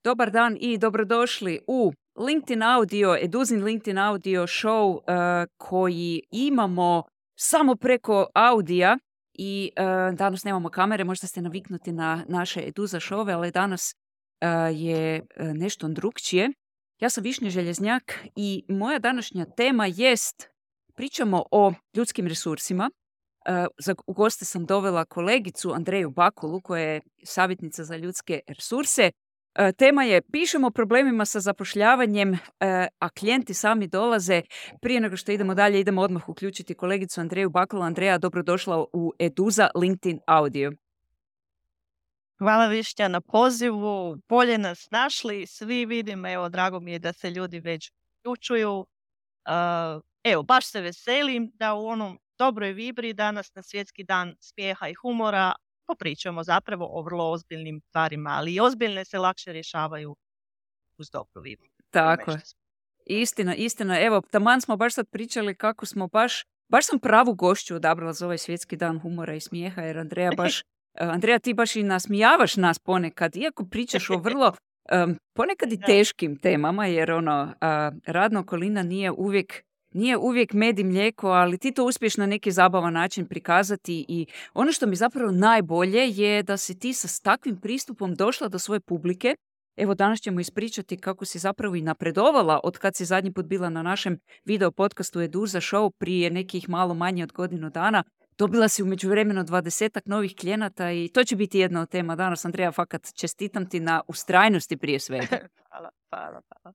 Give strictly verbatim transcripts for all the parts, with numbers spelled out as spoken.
dobar dan i dobrodošli u LinkedIn Audio, Eduzin LinkedIn Audio show uh, koji imamo samo preko audija i uh, danas nemamo kamere, možda ste naviknuti na naše Eduza šove, ali danas uh, je uh, nešto drukčije. Ja sam Višnja Željeznjak i moja današnja tema jest, pričamo o ljudskim resursima. Uh, za, u goste sam dovela kolegicu Andreju Bakulu, koja je savjetnica za ljudske resurse. Uh, tema je pišemo o problemima sa zapošljavanjem, uh, a klijenti sami dolaze. Prije nego što idemo dalje, idemo odmah uključiti kolegicu Andreju Bakulu. Andreja, dobrodošla u Eduza LinkedIn Audio. Hvala Višnja na pozivu, bolje nas našli, svi vidim, evo, drago mi je da se ljudi već uključuju. Uh, evo, baš se veselim da u onom dobroj vibri danas na Svjetski dan smijeha i humora popričamo zapravo o vrlo ozbiljnim stvarima, ali i ozbiljne se lakše rješavaju uz dobru vibru. Tako je. Istina, istina. Evo, taman smo baš sad pričali kako smo baš, baš sam pravu gošću odabrala za ovaj Svjetski dan humora i smijeha, jer Andreja baš, Andreja, ti baš i nasmijavaš nas ponekad, iako pričaš o vrlo um, ponekad i teškim temama, jer ono, uh, radna okolina nije uvijek Nije uvijek med i mlijeko, ali ti to uspiješ na neki zabavan način prikazati i ono što mi zapravo najbolje je da si ti sa takvim pristupom došla do svoje publike. Evo, danas ćemo ispričati kako si zapravo i napredovala od kad si zadnji put bila na našem video podcastu Eduza Show prije nekih malo manje od godinu dana. Dobila si u međuvremenu dvadesetak novih klijenata i to će biti jedna od tema danas. Andreja, fakat čestitam ti na ustrajnosti prije svega. Hvala, hvala, hvala.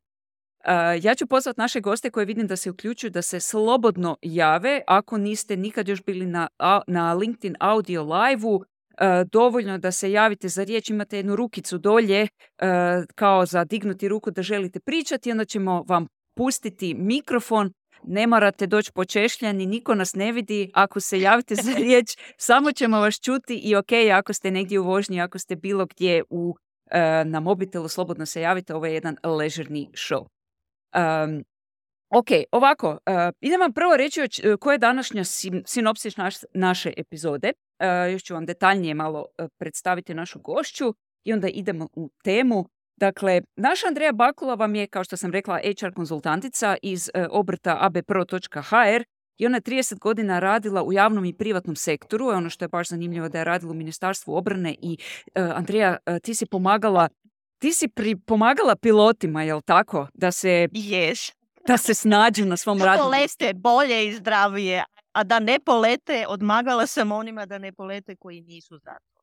Uh, ja ću pozvati naše goste koje vidim da se uključuju da se slobodno jave. Ako niste nikad još bili na, na LinkedIn Audio live-u, uh, dovoljno da se javite za riječ. Imate jednu rukicu dolje uh, kao za dignuti ruku da želite pričati, onda ćemo vam pustiti mikrofon. Ne morate doći počešljani, niko nas ne vidi. Ako se javite za riječ, samo ćemo vas čuti i ok, ako ste negdje u vožnji, ako ste bilo gdje u, uh, na mobitelu, slobodno se javite. Ovo je jedan ležerni show. Um, ok, ovako, uh, idem vam prvo reći koja je današnja sim, sinopsis naš, naše epizode. Uh, još ću vam detaljnije malo uh, predstaviti našu gošću i onda idemo u temu. Dakle, naša Andreja Bakula vam je, kao što sam rekla, H R konzultantica iz uh, obrta a b pro točka h r i ona je trideset godina radila u javnom i privatnom sektoru. Ono što je baš zanimljivo da je radila u Ministarstvu obrane i uh, Andreja, uh, ti si pomagala Ti si pri, pomagala pilotima, jel tako? Da se, yes. da se snađu na svom radu. Da polete bolje i zdravije, a da ne polete, odmagala sam onima da ne polete koji nisu za to.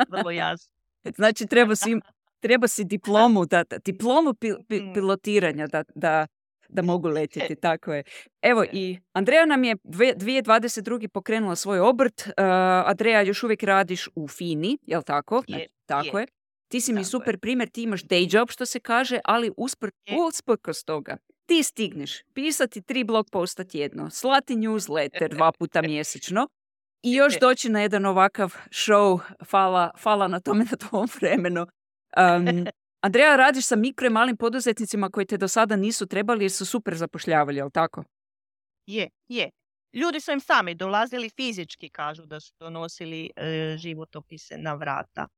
Vrlo jasno. Znači, treba si, treba si diplomu, da, diplomu pil, pil, pilotiranja da, da, da mogu letjeti, tako je. Evo, i Andreja nam je dvije tisuće dvadeset druge pokrenula svoj obrt. Uh, Andreja, još uvijek radiš u FINI, jel tako? Je, tako je. je. Ti si mi Tako super je. primjer, ti imaš day job, što se kaže, ali uspr- usprkos toga ti stigneš pisati tri blog posta tjedno, slati newsletter dva puta mjesečno i još doći na jedan ovakav show. Hvala, hvala na tome, na tvom vremenu. Um, Andreja, radiš sa mikro i malim poduzetnicima koji te do sada nisu trebali jer su super zapošljavali, jel tako? Je, je. Ljudi su im sami dolazili fizički, kažu da su donosili e, životopise na vrata,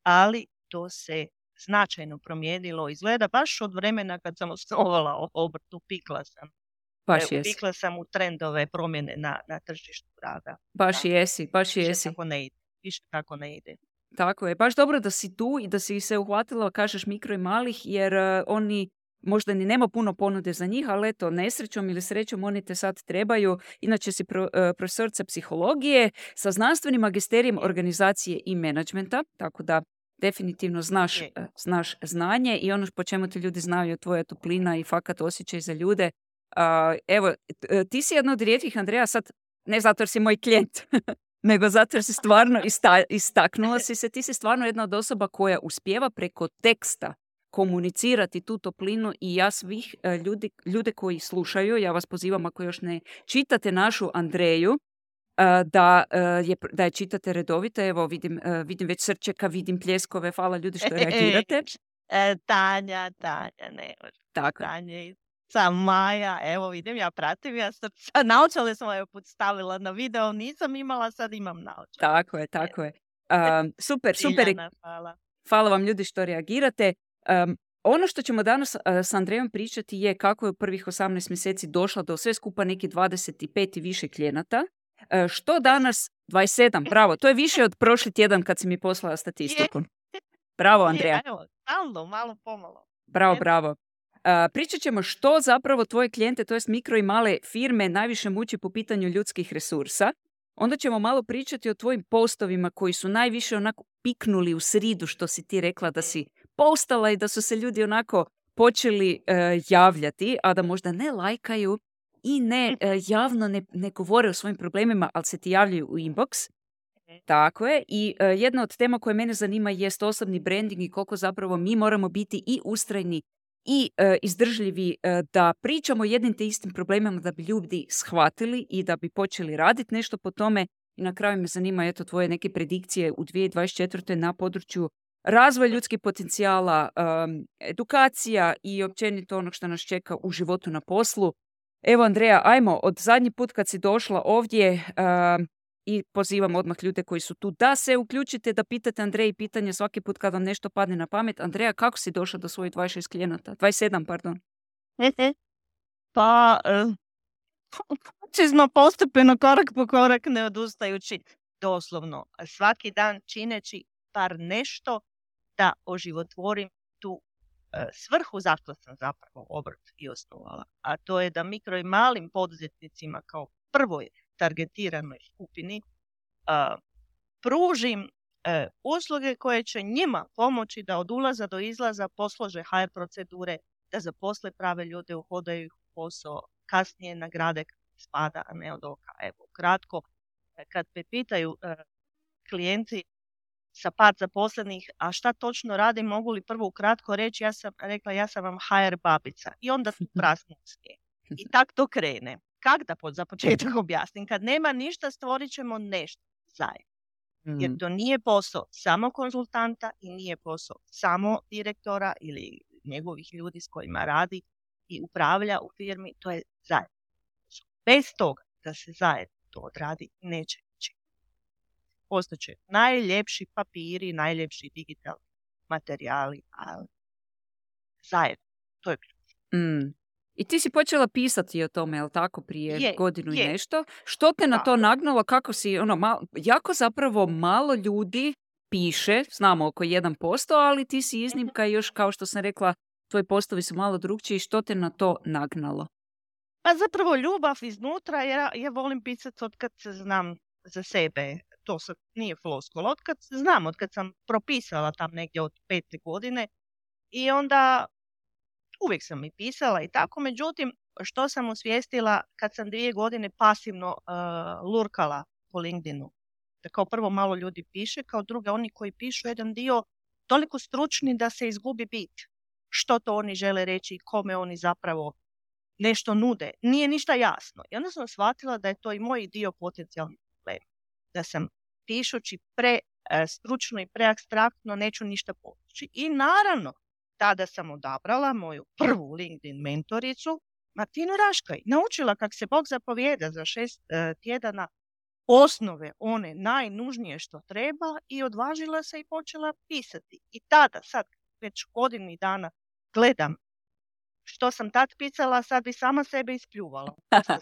ali to se značajno promijenilo. Izgleda baš od vremena kad sam osnovala obrt, upikla sam. Baš e, jesi. Upikla sam u trendove promjene na, na tržištu rada. Baš da. jesi, baš Više jesi. Tako ne ide. Više tako ne ide. Tako je. Baš dobro da si tu i da si se uhvatila, kažeš, mikro i malih, jer uh, oni možda ni nema puno ponude za njih, ali eto, nesrećom ili srećom oni te sad trebaju. Inače si pro, uh, profesorica psihologije sa znanstvenim magisterijem organizacije i menadžmenta, tako da definitivno znaš, uh, znaš znanje i ono po čemu te ljudi znaju je tvoja toplina i fakat osjećaj za ljude. Uh, evo, ti si jedna od rijetkih, Andreja, sad ne zato jer si moj klijent, nego zato jer si stvarno ista, istaknula si se, ti si stvarno jedna od osoba koja uspijeva preko teksta komunicirati tu toplinu i ja svih uh, ljudi, ljude koji slušaju, ja vas pozivam ako još ne čitate našu Andreju, uh, da, uh, je, da je čitate redovito. Evo vidim, uh, vidim već srčeka, vidim pljeskove, hvala ljudi što reagirate. E, Tanja, Tanja, ne. Tako. Tanja, sam Maja, evo vidim, ja pratim, ja srca, naočale sam ovaj put stavila na video, nisam imala, sad imam naočale. Tako je, tako je. Um, super, super. Iljana, hvala. Hvala vam ljudi što reagirate. Um, ono što ćemo danas uh, s Andrejom pričati je kako je u prvih osamnaest mjeseci došla do sve skupa neki dvadeset pet i više klijenata. Uh, što danas, dvadeset sedam, bravo, to je više od prošli tjedan kad si mi poslala statistiku. Bravo, Andreja. Je, evo, stalno, malo pomalo. Bravo, Eto. bravo. Uh, pričat ćemo što zapravo tvoje klijente, to jest mikro i male firme, najviše muči po pitanju ljudskih resursa. Onda ćemo malo pričati o tvojim postovima koji su najviše onako piknuli u sridu, što si ti rekla da si postala i da su se ljudi onako počeli uh, javljati, a da možda ne lajkaju i ne uh, javno ne, ne govore o svojim problemima, ali se ti javljaju u inbox. Tako je. I uh, jedna od tema koje mene zanima jest osobni branding i koliko zapravo mi moramo biti i ustrajni i uh, izdržljivi uh, da pričamo jednim te istim problemima da bi ljudi shvatili i da bi počeli raditi nešto po tome. I na kraju me zanima eto tvoje neke predikcije u dvije tisuće dvadeset četvrtoj na području razvoja ljudskih potencijala, um, edukacija i općenito onog što nas čeka u životu na poslu. Evo Andreja, ajmo, od zadnji put kad si došla ovdje uh, i pozivam odmah ljude koji su tu da se uključite, da pitate Andreji pitanje svaki put kad vam nešto padne na pamet. Andreja, kako si došla do svojih dvadeset šest klijenata? dvadeset sedam, pardon. Pa, uh, smo postepeno korak po korak ne odustajući doslovno. Svaki dan čineći par nešto da oživotvorim tu uh, svrhu zašto sam zapravo obrt i osnovala. A to je da mikro i malim poduzetnicima kao prvoj targetiranoj skupini uh, pružim uh, usluge koje će njima pomoći da od ulaza do izlaza poslože H R procedure, da zaposle prave ljude, uhodaju ih u posao, kasnije nagrade spada, a ne od oka. Evo, kratko, kad me pitaju uh, klijenti sa par zaposlenih, a šta točno radim, mogu li prvo ukratko reći, ja sam rekla, ja sam vam H R babica. I onda tu prasnu smije. I tak to krene. Kak da pod za početak objasnim? Kad nema ništa, stvorit ćemo nešto zajedno. Jer to nije posao samo konzultanta i nije posao samo direktora ili njegovih ljudi s kojima radi i upravlja u firmi. To je zajedno. Bez toga da se zajedno to odradi, neće ići. Postoće najljepši papiri, najljepši digitalni materijali, ali zajedno. To je ključ. Mm. I ti si počela pisati o tome, jel tako, prije je, godinu je. i nešto. Što te na to nagnalo? Kako si, ono, malo, jako zapravo malo ljudi piše, znamo oko jedan posto, ali ti si iznimka i još, kao što sam rekla, tvoji postovi su malo drugčiji. Što te na to nagnalo? Pa zapravo ljubav iznutra, ja, ja volim pisati od kad se znam za sebe. To sad nije floskula. Od kad znam, od kad sam propisala tam negdje od pete godine i onda uvijek sam i pisala i tako. Međutim, što sam osvijestila kad sam dvije godine pasivno uh, lurkala po LinkedInu. Da kao prvo malo ljudi piše, kao drugo oni koji pišu jedan dio toliko stručni da se izgubi bit. Što to oni žele reći i kome oni zapravo nešto nude. Nije ništa jasno. I onda sam shvatila da je to i moj dio potencijalni problem. Da sam pišući pre uh, stručno i preabstraktno neću ništa postići. I naravno, tada sam odabrala moju prvu LinkedIn mentoricu, Martinu Raškaj. Naučila kak se Bog zapovijeda za šest uh, tjedana osnove, one najnužnije što treba i odvažila se i počela pisati. I tada, sad već godinu dana gledam što sam tad pisala, sad bi sama sebe ispljuvala.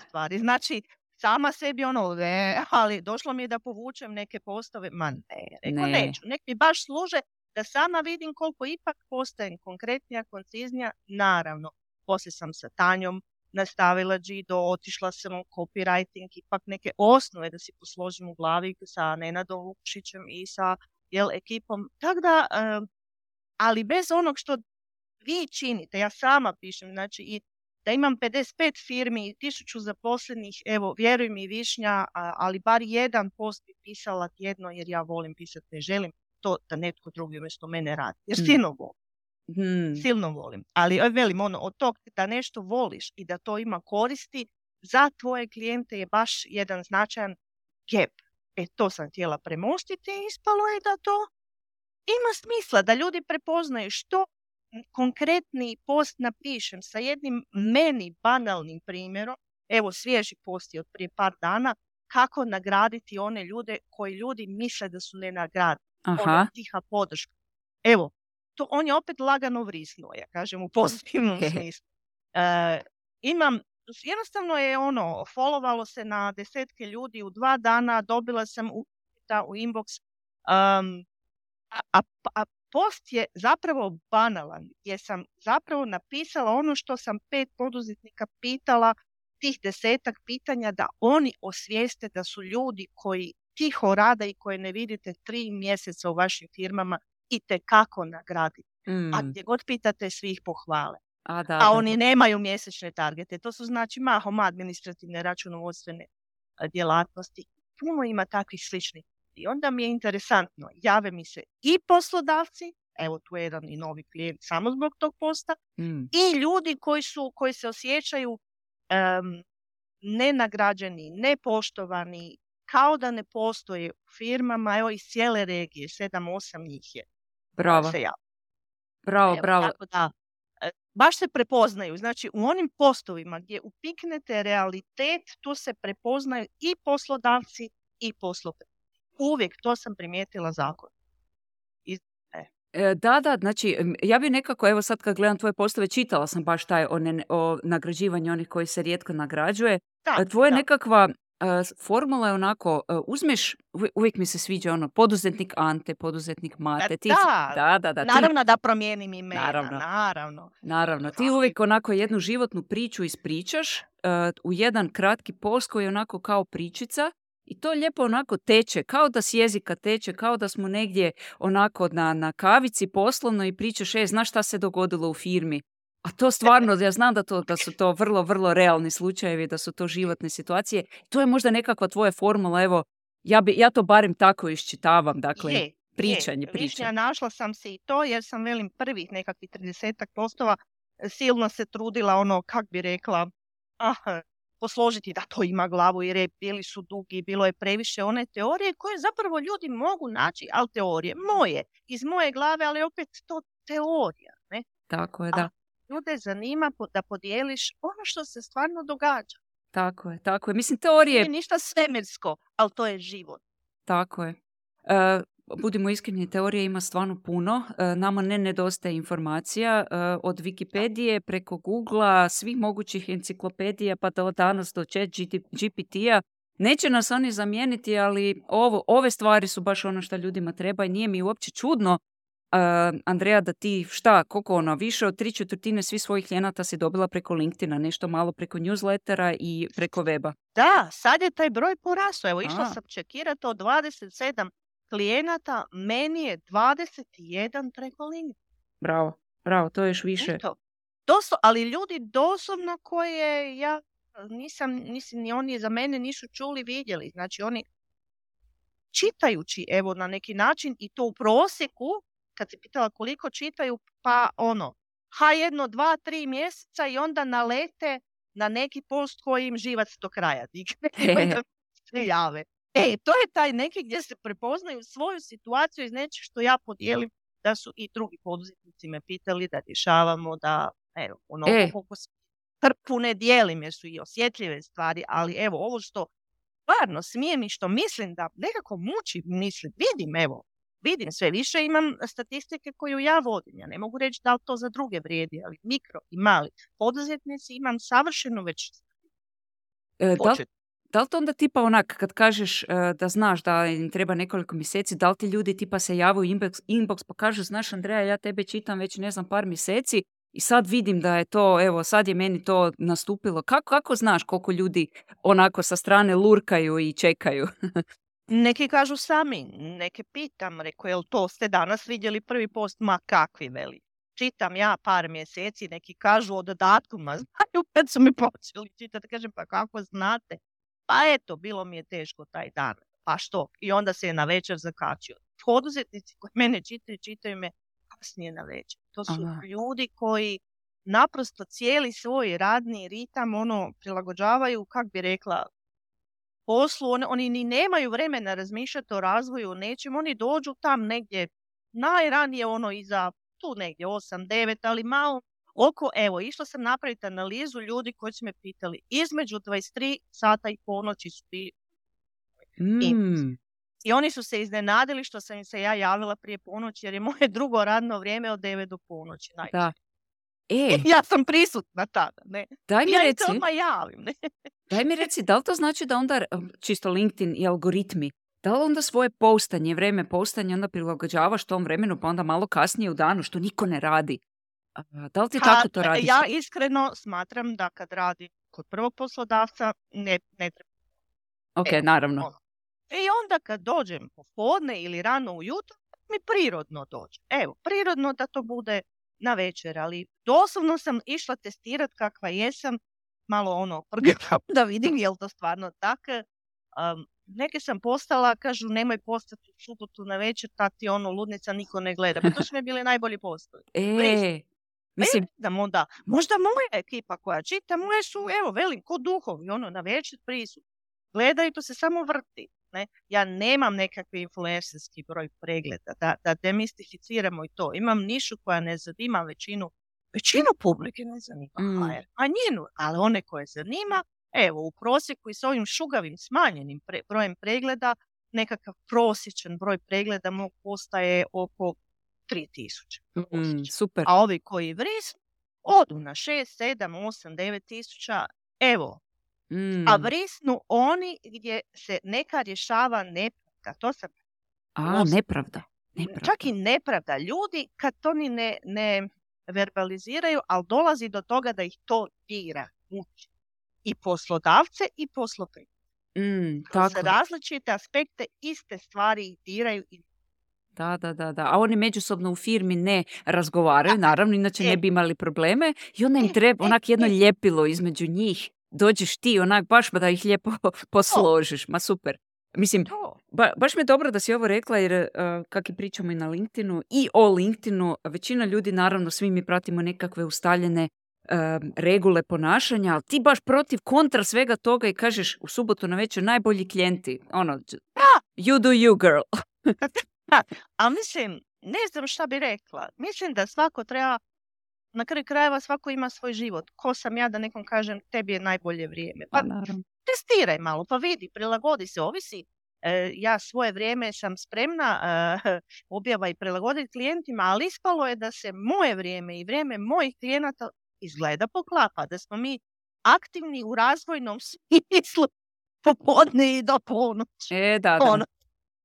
Stvari. Znači, sama sebi ono, ne, ali došlo mi je da povučem neke postove, ma ne, rekao ne. neću, nek mi baš služe da sama vidim koliko ipak postajem konkretnija, konciznija. Naravno, poslije sam sa Tanjom nastavila Gido, otišla sam u copywriting, ipak neke osnove da si posložim u glavi sa Nenadom Vukšićem i sa jel, ekipom. Tako da, uh, ali bez onog što vi činite, ja sama pišem, znači i da imam pedeset pet firmi i tisuću zaposlenih, evo, vjeruj mi Višnja, ali bar jedan post bi pisala tjedno jer ja volim pisati, ne želim to da netko drugi umjesto mene radi. Jer Mm. silno volim. Hmm. Silno volim. Ali velim, ono, od tog da nešto voliš i da to ima koristi, za tvoje klijente je baš jedan značajan gap. E, to sam htjela premostiti i ispalo je da to ima smisla, da ljudi prepoznaju što konkretni post napišem sa jednim meni banalnim primjerom. Evo, svježi post je od prije par dana, kako nagraditi one ljude koji ljudi misle da su nenagradivi. Aha. Ono, tiha podrška. Evo, to on je opet lagano vrisnuo, ja kažem u pozitivnom smislu. E, imam, jednostavno je ono, followalo se na desetke ljudi u dva dana, dobila sam u, u inbox, um, a, a, a post je zapravo banalan, jer sam zapravo napisala ono što sam pet poduzetnika pitala, tih desetak pitanja, da oni osvijeste da su ljudi koji tiho rade i koje ne vidite tri mjeseca u vašim firmama i tekako nagraditi. Mm. A gdje god pitate, svi ih pohvale. A, da, a da, oni da. nemaju mjesečne targete. To su znači mahom administrativne računovodstvene djelatnosti. Puno ima takvih sličnih. I onda mi je interesantno, jave mi se i poslodavci, evo tu je jedan i novi klijent samo zbog tog posta, mm. i ljudi koji, su, koji se osjećaju um, nenagrađeni, nepoštovani, kao da ne postoje u firmama, evo iz cijele regije, sedam, osam njih je. Bravo. Se bravo, evo, bravo. Tako da, baš se prepoznaju. Znači, u onim postovima gdje upiknete realitet, tu se prepoznaju i poslodavci i posloprednici. Uvijek to sam primijetila zakon. I, e. Da, da, znači, ja bi nekako, evo sad kad gledam tvoje postove, čitala sam baš taj o, ne, o nagrađivanju onih koji se rijetko nagrađuje. Da, Tvoja da. nekakva uh, formula je onako, uh, uzmeš, uvijek mi se sviđa ono, poduzetnik Ante, poduzetnik Mate. Ti, da, da, da, da. Naravno ti, da promijenim imena, naravno. naravno. Naravno, ti uvijek onako jednu životnu priču ispričaš uh, u jedan kratki post koji je onako kao pričica. I to lijepo onako teče, kao da s jezika teče, kao da smo negdje onako na, na kavici poslovno i pričaš, e, znaš šta se dogodilo u firmi. A to stvarno, ja znam da, to, da su to vrlo, vrlo realni slučajevi, da su to životne situacije. To je možda nekakva tvoja formula, evo, ja, bi, ja to barem tako iščitavam, dakle, je, pričanje, je. pričanje. Višnja, našla sam se i to, jer sam, velim, prvih nekakvih tridesetak postova silno se trudila, ono, kak bi rekla, aha, posložiti da to ima glavu i rep, bili su dugi, bilo je previše one teorije koje zapravo ljudi mogu naći, ali teorije moje, iz moje glave, ali opet to teorija. Ne? Tako je, da. A ljude zanima da podijeliš ono što se stvarno događa. Tako je, tako je. Mislim, teorije... Nije ništa svemirsko, ali to je život. Tako je. Uh, budimo iskreni, teorije ima stvarno puno. Uh, nama ne nedostaje informacija. Uh, od Wikipedije preko Googlea, svih mogućih enciklopedija, pa do danas do Chat G P T-a. Neće nas oni zamijeniti, ali ovo, ove stvari su baš ono što ljudima treba i nije mi uopće čudno, Uh, Andreja, da ti šta, koliko ono, više od tri četvrtine svih svojih klijenata si dobila preko LinkedIna, nešto malo preko newslettera i preko weba. Da, sad je taj broj porastao. Evo, išla A. sam čekirati od dvadeset sedam klijenata, meni je dvadeset jedan preko LinkedIna. Bravo, bravo, to je još više. Eto. Doslo, ali ljudi doslovno koje ja nisam, nisam, ni oni za mene nisu čuli, vidjeli. Znači oni čitajući, evo, na neki način i to u prosjeku, kad se pitala koliko čitaju, pa ono, ha jedno, dva, tri mjeseca i onda nalete na neki post koji im živac do kraja digne. se jave. E, to je taj neki gdje se prepoznaju svoju situaciju iz nečeg što ja podijelim, da su i drugi poduzetnici me pitali da rješavamo, da, evo, ono, e. koliko se trpu ne dijelim, jer su i osjetljive stvari, ali evo, ovo što stvarno smijem i što mislim da nekako muči, mislim, vidim, evo, vidim sve više, imam statistike koju ja vodim. Ja ne mogu reći da li to za druge vrijedi, ali mikro i mali poduzetnici imam savršeno već e, da, li, da li to onda tipa onak, kad kažeš uh, da znaš da im treba nekoliko mjeseci, da li ti ljudi tipa se jave u inbox, inbox pa kažu, znaš Andreja, ja tebe čitam već ne znam par mjeseci i sad vidim da je to, evo sad je meni to nastupilo. Kako, kako znaš koliko ljudi onako sa strane lurkaju i čekaju? Neki kažu sami, neke pitam, reko, jel to ste danas vidjeli prvi post, ma kakvi veli. Čitam ja par mjeseci, neki kažu o dodatku, ma znaju kad su mi počeli čitati, kažem pa kako znate. Pa eto, bilo mi je teško taj dan, pa što? I onda se je na večer zakačio. Poduzetnici koji mene čitaju, čitaju me kasnije na večer. To su Aha. ljudi koji naprosto cijeli svoj radni ritam ono prilagođavaju, kak bi rekla, poslu, oni, oni ni nemaju vremena razmišljati o razvoju, o nečem, oni dođu tam negdje najranije ono iza tu negdje osam devet, ali malo oko, evo, išla sam napraviti analizu ljudi koji su me pitali, između dvadeset tri sata i ponoći su bili. Mm. I oni su se iznenadili što sam im se ja javila prije ponoći, jer je moje drugo radno vrijeme od devet do ponoći. Da. E, Ja sam prisutna tada, ne? daj mi Ja im reci, se odmah javim, ne? daj mi reci, da li to znači da onda, čisto LinkedIn i algoritmi, da li onda svoje postanje, vrijeme postanja onda prilagođavaš tom vremenu, pa onda malo kasnije u danu, što niko ne radi? A, Da li ti Pa, tako to radiš? ja iskreno smatram da kad radim kod prvog poslodavca, ne, ne treba. Ok, Evo, naravno. ono. I onda kad dođem popodne ili rano ujutro, mi prirodno dođe. Evo, prirodno da to bude na večer, ali doslovno sam išla testirati kakva jesam, malo ono, da vidim je li to stvarno tako. Um, neke sam postala, kažu nemoj postati u subotu na večer, ta ti ono ludnica niko ne gleda. Pa to su mi bili najbolji postoji. E, mislim, Da onda, možda moja ekipa koja čita, moje su, evo, velim, ko duhovi, ono, na večer prisutni. Gledaju, to se samo vrti. Ne? Ja nemam nekakvi influencerski broj pregleda, da, da demistificiramo i to. Imam nišu koja ne zanima većinu, većinu publike ne zanima Mm. H R, a njenu, ali one koje zanima, evo, u prosjeku i s ovim šugavim smanjenim pre, brojem pregleda, nekakav prosječan broj pregleda mog postaje oko tri tisuće. mm, super. A ovi koji vrisnu, odu na šest, sedam, osam, devet tisuća, evo, Mm. a vrisnu oni gdje se neka rješava nepravda. To sam A, Lost. nepravda. nepravda. čak i nepravda. Ljudi kad to ni ne, ne verbaliziraju, ali dolazi do toga da ih to dira. Muči. I poslodavce i posloprimce. Mm, Kroz tako. različite aspekte iste stvari ih diraju. I... Da, da, da, da. A oni međusobno u firmi ne razgovaraju, naravno, inače E. ne bi imali probleme. I onda im E, treba e, onak jedno e. ljepilo između njih. Dođeš ti onak baš da ih lijepo posložiš. Ma super. Mislim, To. ba, baš mi je dobro da si ovo rekla jer uh, kak i pričamo i na LinkedInu i o LinkedInu, većina ljudi, naravno, svi mi pratimo nekakve ustaljene um, regule ponašanja, ali ti baš protiv kontra svega toga i kažeš u subotu na večer najbolji klijenti. Ono, j- you do you, girl. A mislim, ne znam šta bi rekla. Mislim da svako treba, na kraju krajeva svako ima svoj život. Ko sam ja da nekom kažem tebi je najbolje vrijeme? Pa naravno. testiraj malo, pa vidi, prilagodi se, ovisi. E, ja svoje vrijeme sam spremna e, objava i prilagoditi klijentima, ali ispalo je da se moje vrijeme i vrijeme mojih klijenata izgleda poklapa, da smo mi aktivni u razvojnom smislu popodne i do ponoći. E, da, da. Ono,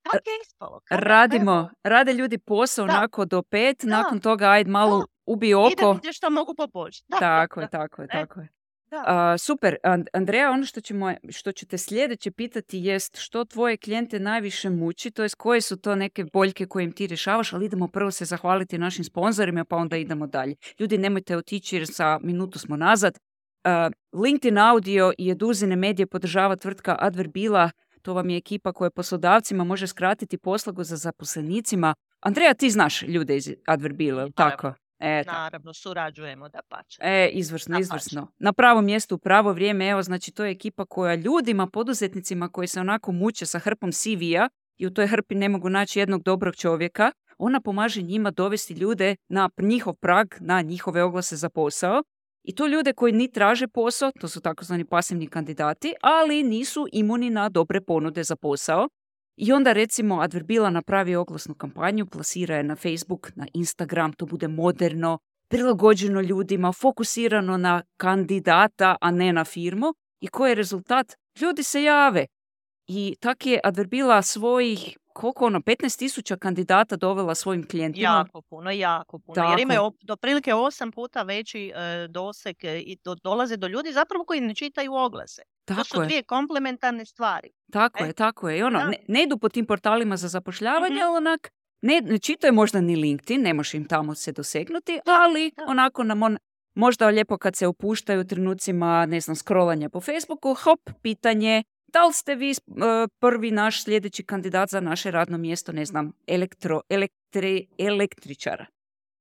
tako je ispalo. Kada, Radimo, evo, rade ljudi posao Da. onako do pet, Da. nakon toga ajde malo Da. ubi idem oko. gdje što mogu poboljšati. Da, Tako da, je, tako je, E, tako je. da. A, super. And- Andreja, ono što, ćemo, što ću te sljedeće pitati jest što tvoje klijente najviše muči, to jest koje su to neke boljke koje im ti rješavaš, ali idemo prvo se zahvaliti našim sponzorima pa onda idemo dalje. Ljudi, nemojte otići jer sa minutu smo nazad. A, LinkedIn Audio i Eduzine Medije podržava tvrtka Adverbila. To vam je ekipa koja poslodavcima može skratiti poslagu za zaposlenicima. Andreja, ti znaš ljude iz Adverbila, jel tako? E, tako. Naravno, surađujemo da pače. E, izvrsno, Dapače. izvrsno. Na pravo mjestu, u pravo vrijeme, evo, znači to je ekipa koja ljudima, poduzetnicima koji se onako muče sa hrpom C V-a i u toj hrpi ne mogu naći jednog dobrog čovjeka, ona pomaže njima dovesti ljude na njihov prag, na njihove oglase za posao. I to ljude koji ni traže posao, to su takozvani pasivni kandidati, ali nisu imuni na dobre ponude za posao. I onda recimo Adverbila napravi oglasnu kampanju, plasira je na Facebook, na Instagram, to bude moderno, prilagođeno ljudima, fokusirano na kandidata, a ne na firmu. I koji je rezultat? Ljudi se jave. I tak je Adverbila svojih, koliko ono, petnaest tisuća kandidata dovela svojim klijentima. Jako puno, jako puno. Tako. Jer imaju op- do prilike osam puta veći e, doseg e, i do, dolaze do ljudi zapravo koji ne čitaju oglase. To Tako su je. dvije komplementarne stvari. Tako E, je, tako je. I ono, da. ne, ne idu po tim portalima za zapošljavanje, Mhm. ali onak, ne, ne čitaju možda ni LinkedIn, ne može im tamo se dosegnuti, ali Da. onako nam on, možda lijepo kad se opuštaju u trenucima, ne znam, scrollanja po Facebooku, hop, pitanje, da li ste vi uh, prvi naš sljedeći kandidat za naše radno mjesto, ne znam, elektro, elektri, električara.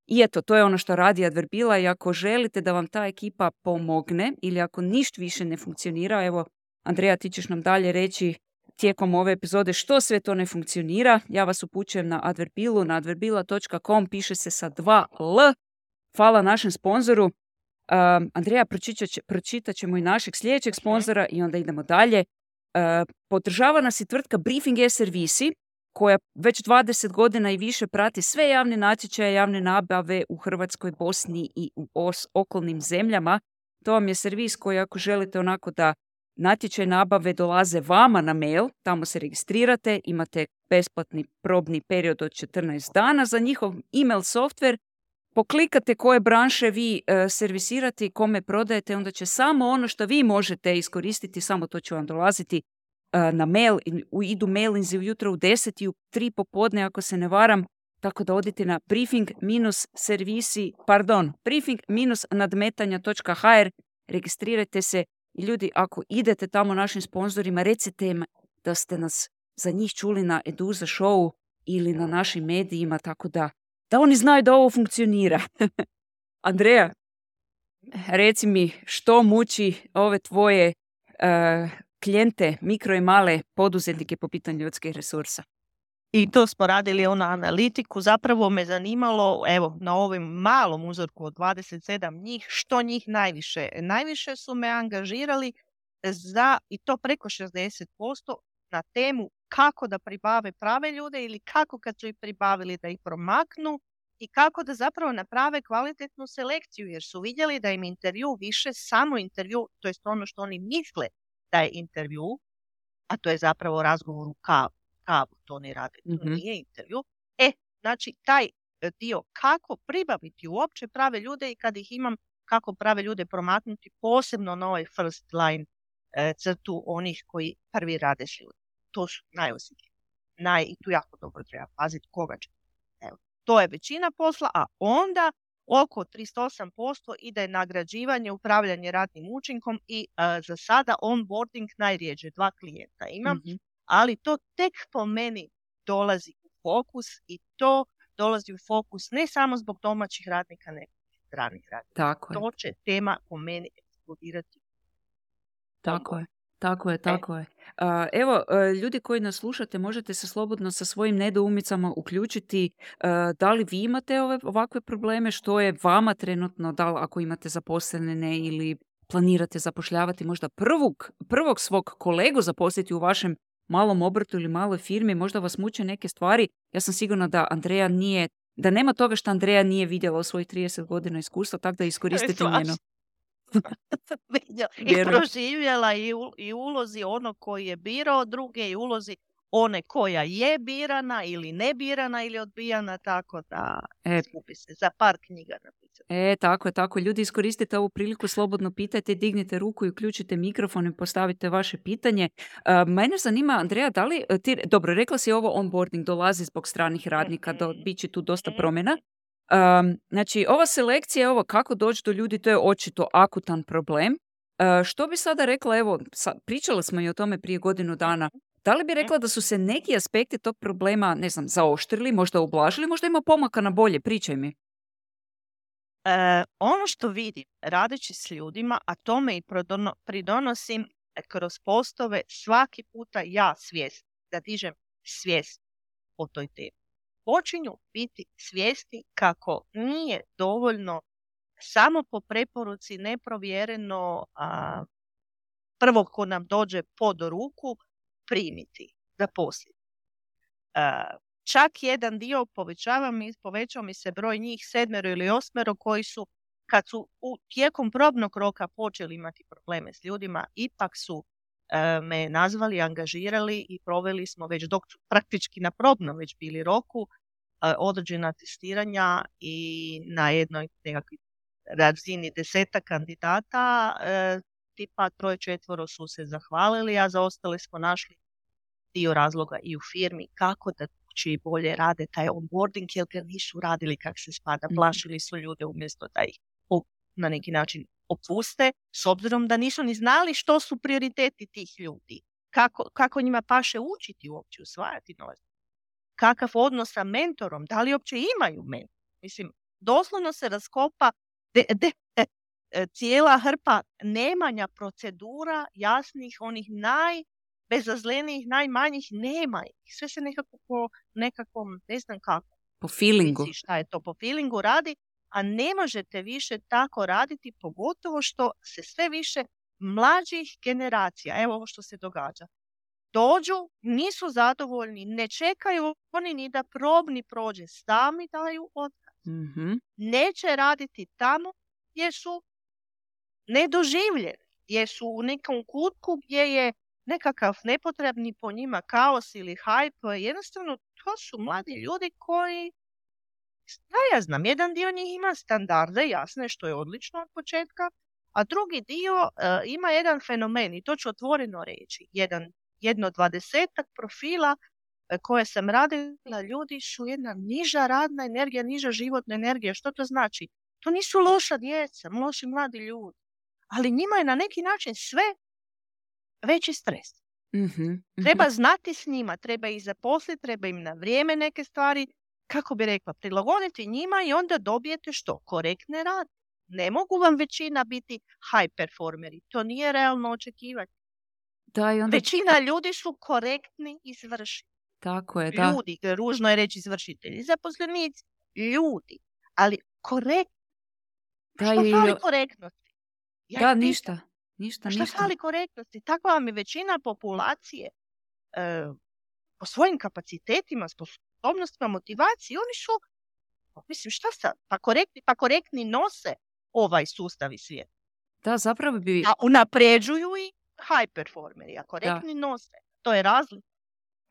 I eto, to je ono što radi Adverbila i ako želite da vam ta ekipa pomogne ili ako ništa više ne funkcionira, evo, Andreja, ti ćeš nam dalje reći tijekom ove epizode što sve to ne funkcionira. Ja vas upućujem na Adverbilu, na adverbila točka com, piše se sa dva L. Hvala našem sponzoru. Um, Andreja, pročitat, će- pročitat ćemo i našeg sljedećeg sponzora i onda idemo dalje. Uh, podržava nas i tvrtka Briefing e-servisi. koja već dvadeset godina i više prati sve javne natječaje, javne nabave u Hrvatskoj, Bosni i u os- okolnim zemljama. To vam je servis koji ako želite onako da natječaj nabave dolaze vama na mail, tamo se registrirate, imate besplatni probni period od četrnaest dana za njihov email software, poklikate koje branše vi e, servisirate i kome prodajete, onda će samo ono što vi možete iskoristiti, samo to će vam dolaziti e, na mail. U, idu mailinzi ujutro u deset i u tri popodne, ako se ne varam, tako da odite na briefing servisi, pardon, briefing nadmetanja točka h r, registrirajte se i ljudi, ako idete tamo našim sponzorima, recite im da ste nas za njih čuli na Eduza showu ili na našim medijima, tako da da oni znaju da ovo funkcionira. Andreja, reci mi što muči ove tvoje uh, klijente, mikro i male poduzetnike po pitanju ljudskih resursa? I to smo radili ono analitiku. Zapravo me zanimalo, evo, na ovom malom uzorku od dvadeset sedam njih, što njih najviše. Najviše su me angažirali za, i to preko šezdeset posto, na temu kako da pribave prave ljude ili kako kad su ih pribavili da ih promaknu i kako da zapravo naprave kvalitetnu selekciju, jer su vidjeli da im intervju više samo intervju, to je ono što oni misle da je intervju, a to je zapravo razgovor u kavu. kavu to oni rade, to Mm-hmm. nije intervju. E, znači taj dio kako pribaviti uopće prave ljude i kad ih imam, kako prave ljude promaknuti, posebno na ovaj first line e, crtu onih koji prvi rade s ljudima. To su najosjetljiviji. Naj, I tu jako dobro treba paziti koga će. Evo, to je većina posla, a onda oko trideset osam posto ide nagrađivanje, upravljanje radnim učinkom i uh, za sada onboarding najrijeđe, dva klijenta imam, mm-hmm. ali to tek po meni dolazi u fokus i to dolazi u fokus ne samo zbog domaćih radnika, nego i stranih radnika. Tako je. To će tema po meni eksplodirati. Tako je. Tako je, tako e. je. Uh, evo, uh, ljudi koji nas slušate, možete se slobodno sa svojim nedoumicama uključiti. Uh, da li vi imate ove, ovakve probleme? Što je vama trenutno, da li ako imate zaposlene ili planirate zapošljavati možda prvog, prvog svog kolegu zaposliti u vašem malom obrtu ili maloj firmi, možda vas muče neke stvari. Ja sam sigurna da Andreja nije, da nema toga što Andreja nije vidjela u svojih trideset godina iskustva, tako da iskoristite njeno. I proživjela i, u, i ulozi onog koji je birao druge i ulozi one koja je birana ili ne birana ili odbijana, tako da e, skupi se za par knjiga napisati. E, tako je, tako. Ljudi, iskoristite ovu priliku, slobodno pitajte, dignite ruku i uključite mikrofon i postavite vaše pitanje. Uh, mene zanima, Andreja, da li ti, dobro, rekla si ovo onboarding dolazi zbog stranih radnika, mm-hmm. do, bit će tu dosta promjena. Um, znači, ova selekcija, ovo kako doći do ljudi, to je očito akutan problem. Uh, što bi sada rekla, evo, sa, pričala smo i o tome prije godinu dana, da li bi rekla da su se neki aspekti tog problema, ne znam, zaoštrili, možda ublažili, možda ima pomaka na bolje, pričaj mi. E, ono što vidim, radeći s ljudima, a tome i pridono, pridonosim kroz postove, svaki puta ja svijest, da dižem svijest o toj temi. Počinju biti svijesti kako nije dovoljno samo po preporuci neprovjereno a, prvog ko nam dođe pod ruku primiti, zaposliti. A, čak jedan dio povećava mi, povećao mi se broj njih sedmero ili osmero koji su kad su u tijekom probnog roka počeli imati probleme s ljudima, ipak su e, me nazvali, angažirali i proveli smo već dok su praktički na probnom već bili roku e, određena testiranja i na jednoj nekakvoj razini deseta kandidata e, tipa troje četvoro su se zahvalili, a za ostale smo našli dio razloga i u firmi kako da i bolje rade taj onboarding, jer ga nisu radili kak se spada, plašili su ljude umjesto da ih na neki način opuste, s obzirom da nisu ni znali što su prioriteti tih ljudi, kako, kako njima paše učiti uopće, usvajati novac, kakav odnos sa mentorom, da li uopće imaju mentor. Mislim, doslovno se raskopa de, de, de, cijela hrpa nemanja procedura jasnih, onih naj bezazlenijih, najmanjih, nema ih. Sve se nekako po nekakvom, ne znam kako. Po feelingu. Šta je to po feelingu radi, a ne možete više tako raditi, pogotovo što se sve više mlađih generacija, evo ovo što se događa. dođu, nisu zadovoljni, ne čekaju oni ni da probni prođe, sami daju otkaz. Mhm. Neće raditi tamo gdje su nedoživljeni, gdje su u nekom kutku gdje je nekakav nepotrebni po njima kaos ili hype. Jednostavno, to su mladi ljudi koji, da ja znam, jedan dio njih ima standarde, jasne, što je odlično od početka, a drugi dio uh, ima jedan fenomen, i to ću otvoreno reći, jedan, jedno dvadesetak profila uh, koje sam radila, ljudi su jedna niža radna energija, niža životna energija. Što to znači? To nisu loša djeca, loši mladi ljudi, ali njima je na neki način sve veći stres. Mhm. Treba znati s njima, treba ih zaposliti, treba im na vrijeme neke stvari, kako bi rekla, prilagoditi njima i onda dobijete što? Korektne rade. Ne mogu vam većina biti high performeri, to nije realno očekivati. Da, i onda... Većina ljudi su korektni izvršitelji. Tako je, da. Ljudi, ružno je reći izvršitelji, zaposlenici, ljudi, ali korektni. Da, Što i... fali korektnosti? Ja Da, ih pitam, ništa. Ništa, Šta ništa. fali korektnosti? Takva vam je većina populacije e, po svojim kapacitetima, sposobnostima, motivaciji. Oni su, mislim, šta sad? Pa korektni, pa korektni nose ovaj sustav i svijet. Da, zapravo bi... A unapređuju i high performeri, a korektni Da. nose. To je razlika.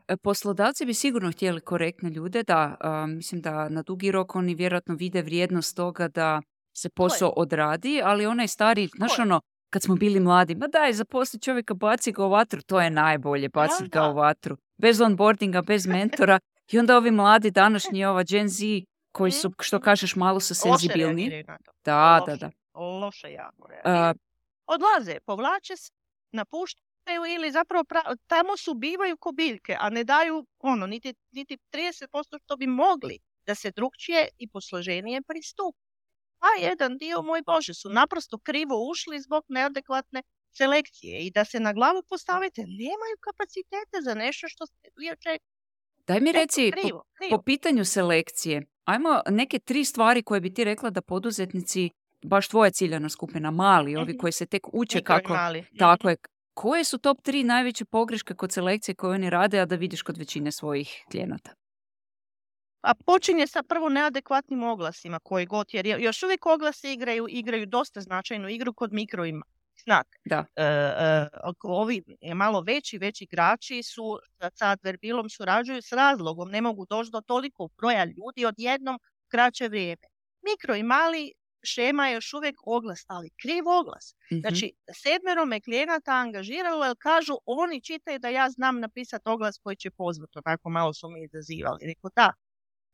E, Poslodavci bi sigurno htjeli korektne ljude, da, a, mislim da na dugi rok oni vjerojatno vide vrijednost toga da se posao odradi, ali onaj stari, znaš je. ono, kad smo bili mladi, ma daj, zaposli čovjeka, baci ga u vatru, to je najbolje, baciti ga da. u vatru. Bez onboardinga, bez mentora. I onda ovi mladi današnji, ova Gen Z, koji su, što kažeš, malo su Loše senzibilni. reagiraju na to. Da, Loše, da, da. Loše jako A, reagiraju. Odlaze, povlače se, napuštaju ili zapravo pra- tamo su bivaju ko biljke, a ne daju ono, niti, niti trideset posto što bi mogli da se drugčije i posloženije pristupi. A jedan dio, moj Bože, su naprosto krivo ušli zbog neadekvatne selekcije i da se na glavu postavite, nemaju kapacitete za nešto što ste vi očekujete. Daj mi reci, po, Krivo, krivo. po pitanju selekcije, ajmo neke tri stvari koje bi ti rekla da poduzetnici, baš tvoja ciljana skupina, mali, ovi Mhm. koji se tek uče Mikro i kako... mali. Tako je. Koje su top tri najveće pogreške kod selekcije koje oni rade, a da vidiš kod većine svojih klijenata? A počinje sa prvo neadekvatnim oglasima koji god, jer još uvijek oglasi igraju, igraju dosta značajnu igru kod mikro i malih. Znak. Da. E, e, ovi malo veći, veći igrači su sa Adverbilom surađuju s razlogom, ne mogu doći do toliko broja ljudi odjednom kraće vrijeme. Mikro i mali šema je još uvijek oglas, ali kriv oglas. Mhm. Znači, sedmero me klijenata angažiralo jer kažu, oni čitaju da ja znam napisati oglas koji će pozvati. Onako malo su mi izazivali. Rekao da,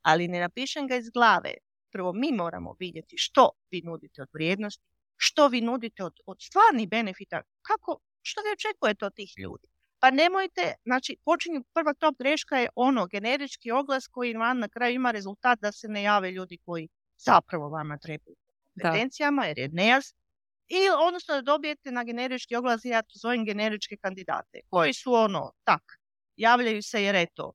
ali ne napišem ga iz glave. Prvo mi moramo vidjeti što vi nudite od vrijednosti, što vi nudite od, od stvarnih benefita, kako, što vi očekujete od tih ljudi. Pa nemojte, znači počinju, prva top greška je ono, generički oglas koji vam na kraju ima rezultat da se ne jave ljudi koji zapravo vama trebaju kompetencijama, jer je nejasno. I odnosno da dobijete na generički oglas, ja to zovem generičke kandidate, koji su ono, tak, javljaju se jer eto,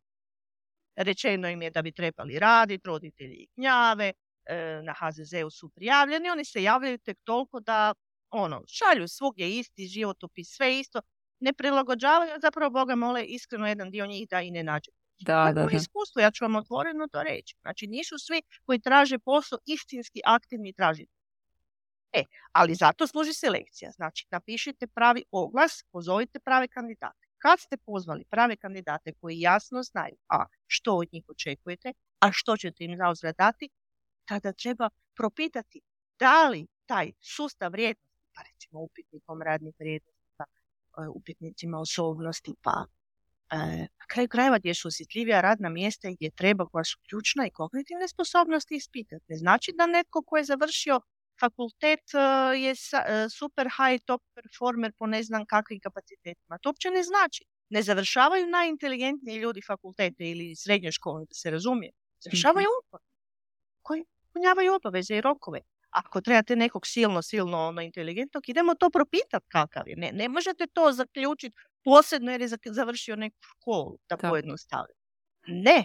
rečeno im je da bi trebali raditi, roditelji ih gnjave, e, na ha ze zeu su prijavljeni, oni se javljaju tek toliko da ono, šalju svugdje isti životopis, sve isto, ne prilagođavaju, zapravo Boga mole iskreno jedan dio njih da i ne nađe. Da, da, To je da. iskustvo, ja ću vam otvoreno to reći. Znači nisu svi koji traže posao istinski aktivni tražitelji. E, ali zato služi selekcija. Znači napišite pravi oglas, pozovite prave kandidate. Kad ste pozvali prave kandidate koji jasno znaju a što od njih očekujete, a što ćete im zauzvrat dati, tada treba propitati da li taj sustav vrijednosti, pa recimo upitnikom radnih vrijednosti, pa upitnicima osobnosti, pa e, na kraju krajeva gdje su osjetljivija radna mjesta i gdje treba, koja su ključna i kognitivne sposobnosti ispitati. Ne znači da netko ko je završio fakultet uh, je sa, uh, super high top performer po ne znam kakvim kapacitetima. To uopće ne znači. Ne završavaju najinteligentniji ljudi fakultete ili srednje škole, da se razumije. Završavaju mm-hmm. koji punjavaju obaveze i rokove. Ako trebate nekog silno, silno ono, inteligentnog, idemo to propitati kakav je. Ne, ne možete to zaključiti posebno jer je završio neku školu, da pojednostavim. Ne.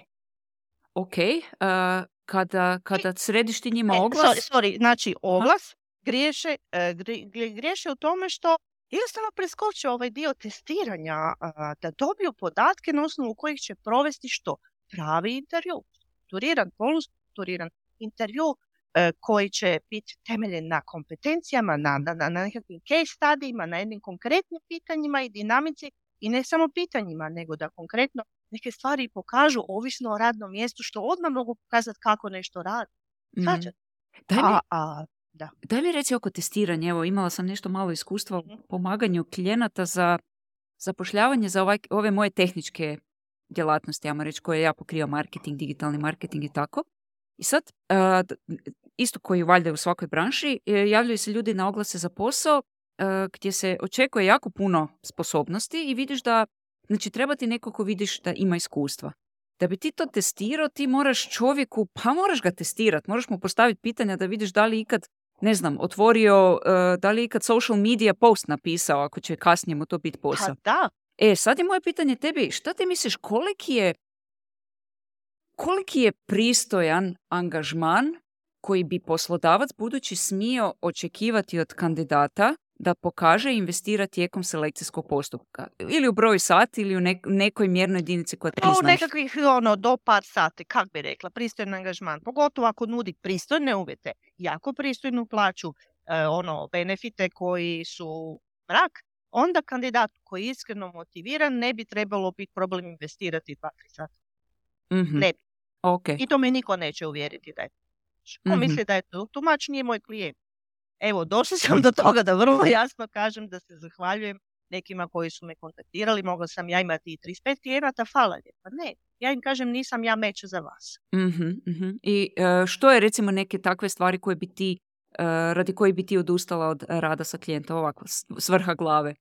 Ok. Uh... Kada, kada središ ti njima e, oglas... Sorry, sorry, znači oglas griješe, uh, griješe u tome što jednostavno preskoče ovaj dio testiranja, a, da dobiju podatke na osnovu kojih će provesti što? Pravi intervju, strukturiran, polustrukturiran intervju e, koji će biti temeljen na kompetencijama, na, na, na nekakvim case studijima, na jednim konkretnim pitanjima i dinamici i ne samo pitanjima, nego da konkretno neke stvari pokažu ovisno o radnom mjestu, što odmah mogu pokazati kako nešto radi. Znači, Mm. Daj mi, a, a, da. daj mi reci oko testiranja. Evo, imala sam nešto malo iskustva u Mhm. pomaganju klijenata za zapošljavanje za ovaj, ove moje tehničke djelatnosti, ajmo reći, koje ja pokrivam, marketing, digitalni marketing i tako. I sad, a, d- isto koji valjda u svakoj branši, e, javljaju se ljudi na oglase za posao e, gdje se očekuje jako puno sposobnosti i vidiš da, znači treba ti neko ko vidiš da ima iskustva. Da bi ti to testirao, ti moraš čovjeku, pa moraš ga testirati, moraš mu postaviti pitanja da vidiš da li ikad, ne znam, otvorio, e, da li ikad social media post napisao, ako će kasnije mu to biti posao. Pa da, E, sad je moje pitanje tebi, šta ti misliš, koliki je, koliki je pristojan angažman koji bi poslodavac budući smio očekivati od kandidata da pokaže i investira tijekom selekcijskog postupka? Ili u broju sati ili u nek- nekoj mjernoj jedinici koja ti pa u znaš. nekakvih ono, do par sati, kak bi rekla, pristojan angažman. Pogotovo ako nudi pristojne uvjete, jako pristojnu plaću, e, ono, benefite koji su mrak, onda kandidat koji je iskreno motiviran ne bi trebalo biti problem investirati dva, tri sata. Mhm. Ne bi. Ok. I to me niko neće uvjeriti da je tumač. On Mhm. misli da je to tumač, nije moj klijent. Evo, došla sam do toga da vrlo jasno kažem da se zahvaljujem nekima koji su me kontaktirali. Mogla sam ja imati i trideset pet klijenata, hvala lijepa. Ne, ja im kažem nisam ja meč za vas. Mhm, mhm. I e, što je recimo neke takve stvari koje bi ti, e, radi koji bi ti odustala od rada sa klijentom, ovako, s- s vrha glave?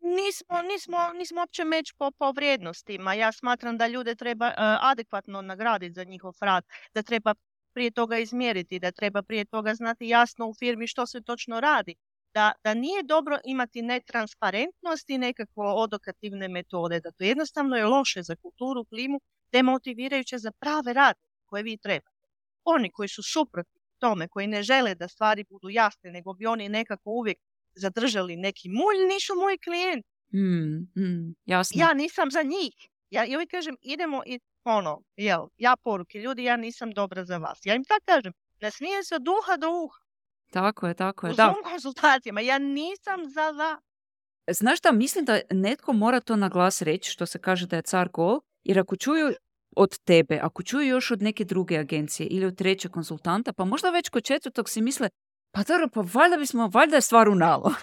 Nismo, nismo, nismo uopće meč po, po vrijednostima. Ja smatram da ljude treba e, adekvatno nagraditi za njihov rad, da treba prije toga izmjeriti, da treba prije toga znati jasno u firmi što se točno radi. Da, da nije dobro imati netransparentnost i nekakvo odokativne metode, da to jednostavno je loše za kulturu, klimu, demotivirajuće za prave radnike koje vi trebate. Oni koji su suprotni tome, koji ne žele da stvari budu jasne, nego bi oni nekako uvijek zadržali neki mulj, nisu moji klijenti. Mm, mm, jasno. Ja nisam za njih. Ja i uvijek kažem, idemo i ono, jel, ja poruke, ljudi, ja nisam dobra za vas. Ja im tako kažem, ne smije se od uha do uha. Tako je, tako je. U Da. Zoom konzultacijama, ja nisam za vas. Znaš šta, mislim da netko mora to na glas reći, što se kaže da je car gol, jer ako čuju od tebe, ako čuju još od neke druge agencije ili od trećeg konzultanta, pa možda već kod četvrtog si misle, pa dobro, pa valjda bismo, valjda je stvar u nalo.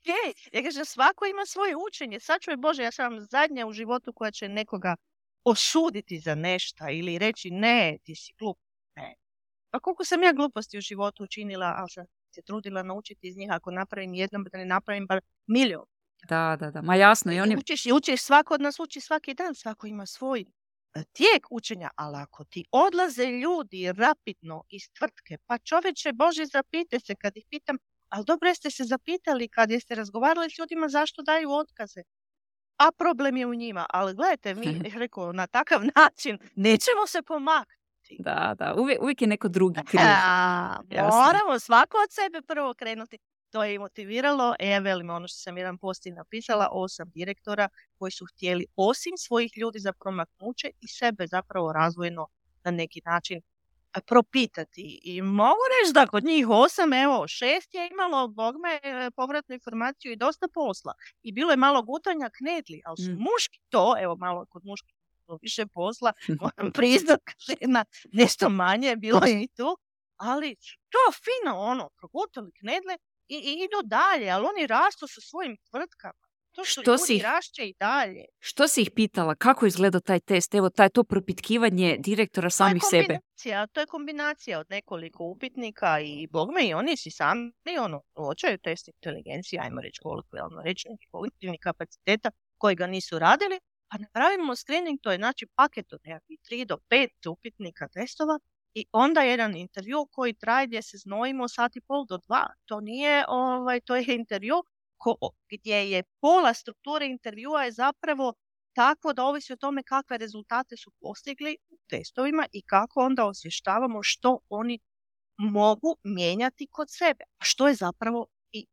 Je, ja kažem, svako ima svoje učenje. Sačuvaj Bože, ja sam zadnja u životu koja će nekoga osuditi za nešto ili reći ne, ti si glup. Ne. Pa koliko sam ja gluposti u životu učinila, ali sam se trudila naučiti iz njih, ako napravim jednom, da ne napravim bar milion. Da, da, da. Ma jasno. I oni... Učiš i učiš, svako od nas uči svaki dan, svako ima svoj e, tijek učenja, ali ako ti odlaze ljudi rapidno iz tvrtke, pa čoveče Bože, zapite se kad ih pitam, ali dobro jeste se zapitali kad jeste razgovarali s ljudima zašto daju otkaze. A problem je u njima, ali gledajte, mi, rekao, na takav način nećemo se pomaknuti. Da, da. Uvijek, uvijek je neko drugi kriv. A, Jasno. moramo svako od sebe prvo krenuti. To je i motiviralo, e, velim, ono što sam jedan post i napisala, osam direktora koji su htjeli osim svojih ljudi za promaknuće i sebe zapravo razvojno na neki način a, propitati. I mogu reći da kod njih osam, evo, šest je imalo, bogme, e, povratnu informaciju i dosta posla. I bilo je malo gutanja knedli, ali su Mm. muški to, evo, malo kod muški više posla, moram priznat, žena nešto manje, bilo je i tu, ali to fino, ono, progutali knedle i, i idu dalje, ali oni rastu sa svojim tvrtkama. To što, Što ljudi si ih- rašće i dalje. Što si ih pitala? Kako izgleda taj test? Evo, taj to propitkivanje direktora samih to je sebe. kombinacija, to je kombinacija od nekoliko upitnika i bogme i oni si sami, ono, uočaju test inteligencije, ajmo reći kolokvijalno reći, nekih kognitivnih kapaciteta koji ga nisu radili, pa napravimo screening, to je znači paket od nekakvih tri do pet upitnika testova i onda jedan intervju koji traje gdje se znojimo sat i pol do dva. To nije, ovaj, to je intervju ko, gdje je pola strukture intervjua je zapravo tako da ovisi o tome kakve rezultate su postigli u testovima i kako onda osvještavamo što oni mogu mijenjati kod sebe, a što je zapravo i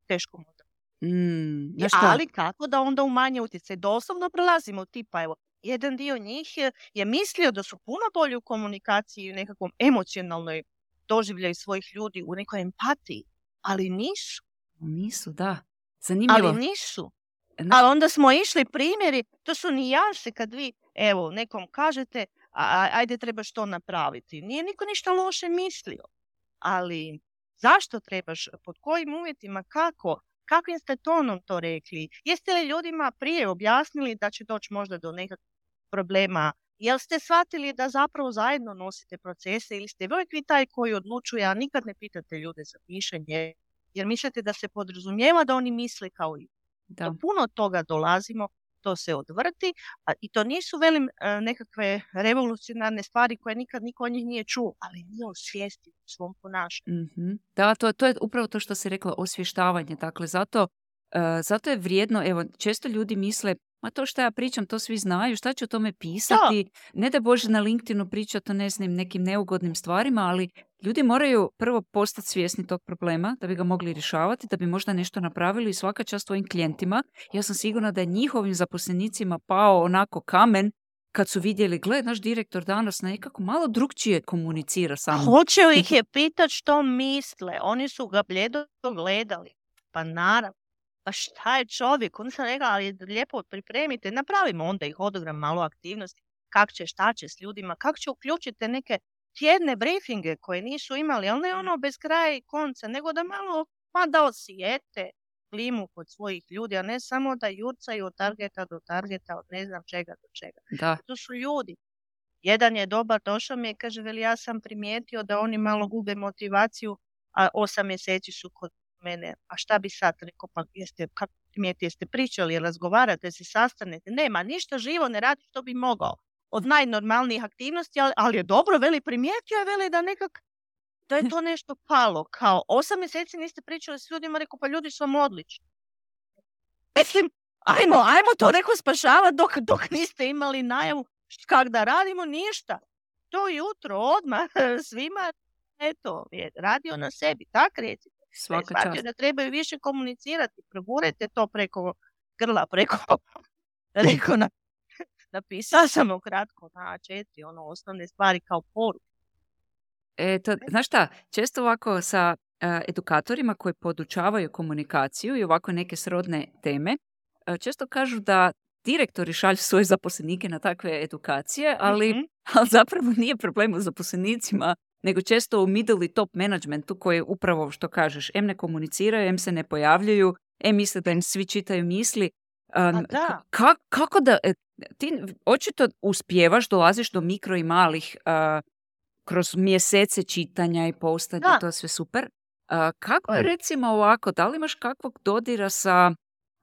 teško možda Mm, I- znaš šta? Ali kako da onda umanje utjecaj? Doslovno prelazimo tipa, evo, jedan dio njih je, je mislio da su puno bolji u komunikaciji, u nekakvom emocionalnoj doživljaju svojih ljudi, u nekoj empatiji, ali nisu. Nisu, da. Zanimljivo. Ali nisu. Znaš- Ali onda smo išli primjeri, to su nijanse kad vi, evo, nekom kažete, a, a- ajde trebaš to napraviti. Nije niko ništa loše mislio. Ali zašto trebaš, pod kojim uvjetima, kako, kakvim ste tonom to rekli? Jeste li ljudima prije objasnili da će doći možda do nekakvih problema? Jel ste shvatili da zapravo zajedno nosite procese ili ste uvijek vi taj koji odlučuje, a nikad ne pitate ljude za mišljenje, jer mislite da se podrazumijeva da oni misle kao i Da. do puno toga dolazimo, to se odvrti, a i to nisu, velim, e, nekakve revolucionarne stvari koje nikad niko od njih nije čuo, ali nije osvijesti u svom ponašanju. Mhm. Da, to, to je upravo to što si rekla, osvještavanje. Dakle, zato, e, zato je vrijedno, evo, često ljudi misle, ma to što ja pričam, to svi znaju, šta ću o tome pisati? Ne da Bože na LinkedInu pričati o ne znam, nekim neugodnim stvarima, ali ljudi moraju prvo postati svjesni tog problema da bi ga mogli rješavati, da bi možda nešto napravili i svaka čast svojim klijentima. Ja sam sigurna da je njihovim zaposlenicima pao onako kamen kad su vidjeli, gle, naš direktor danas nekako malo drugčije komunicira sa mnom. Hoće li ih je pitat što misle? Oni su ga bljedo gledali. Pa naravno. Pa šta je čovjek? Onda sam rekla, ali lijepo pripremite, napravimo onda ih hodogram, malo aktivnosti. Kak će, šta će s ljudima, kako će uključiti neke tjedne briefinge koje nisu imali, ali ne ono bez kraja i konca, nego da malo, pa da osjete klimu kod svojih ljudi, a ne samo da jurcaju od targeta do targeta, od ne znam čega do čega. Da. To su ljudi. Jedan je dobar, došao mi je, kaže, veli, ja sam primijetio da oni malo gube motivaciju, a osam mjeseci su kod mene. A šta bi sad rekao, pa jeste, kako primijeti, jeste pričali, razgovarate se, sastanete? Nema, ništa živo ne radi što bi mogao. Od najnormalnijih aktivnosti, ali, ali je dobro, veli, primijetio je, veli, da nekak, da je to nešto palo. Kao, osam mjeseci niste pričali s ljudima, rekao, pa ljudi su vam odlični. Mislim, ajmo, ajmo to neko spašavati dok, dok niste imali najavu kak da radimo, ništa. To jutro, odmah, svima, eto, je radio na sebi, tak recite. Svaka Shvatio čast. da trebaju više komunicirati, progurajte to preko grla, preko, reko na, napisala sam ukratko na A četiri, ono, osnovne stvari kao poruku. E, to, znaš šta, često ovako sa e, edukatorima koji podučavaju komunikaciju i ovako neke srodne teme, e, često kažu da direktori šalju svoje zaposlenike na takve edukacije, ali, Mhm. ali zapravo nije problem u zaposlenicima, nego često u middle i top managementu koji upravo što kažeš, em ne komuniciraju, em se ne pojavljuju, em misle da im svi čitaju misli. Um, A da. ka- kako da, e, ti očito uspijevaš, dolaziš do mikro i malih uh, kroz mjesece čitanja i postanja, Da. to je sve super. Uh, kako je recimo ovako, da li imaš kakvog dodira sa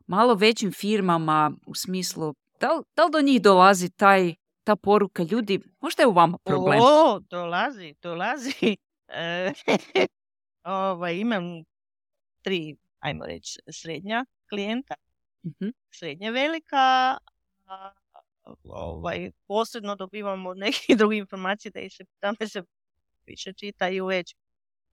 malo većim firmama u smislu, da li, da li do njih dolazi taj, ta poruka ljudi, možda je u vama problem? O, dolazi, dolazi. E, ovaj, imam tri, ajmo reći, srednja klijenta, Mhm. srednje velika, a, ovaj, posredno dobivamo od nekih drugih informacija da ih se, tamo se više čitaju već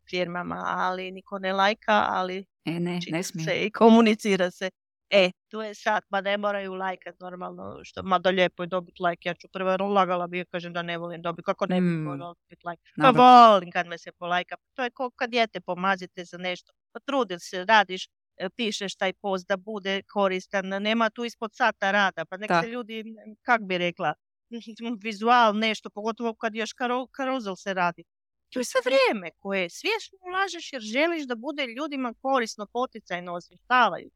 firmama, ali niko ne lajka, ali E, ne, čita ne smije. se i komunicira se. E, tu je sad, ma ne moraju lajkat normalno, što, mada lijepo je dobiti lajk, ja ću prvo lagala bi, kažem da ne volim dobiti, kako ne bi Mm. voljela dobiti lajk. Pa Naravno. volim kad me se polajka, to je kao kad dijete pomazite za nešto, potrudil se, radiš, e, pišeš taj post da bude koristan, nema tu ispod sata rada, pa nek Da. se ljudi, kak bi rekla, vizual nešto, pogotovo kad još karo, karuzel se radi. To je sve vrijeme koje svjesno ulažeš jer želiš da bude ljudima korisno, poticajno, osvještavaju.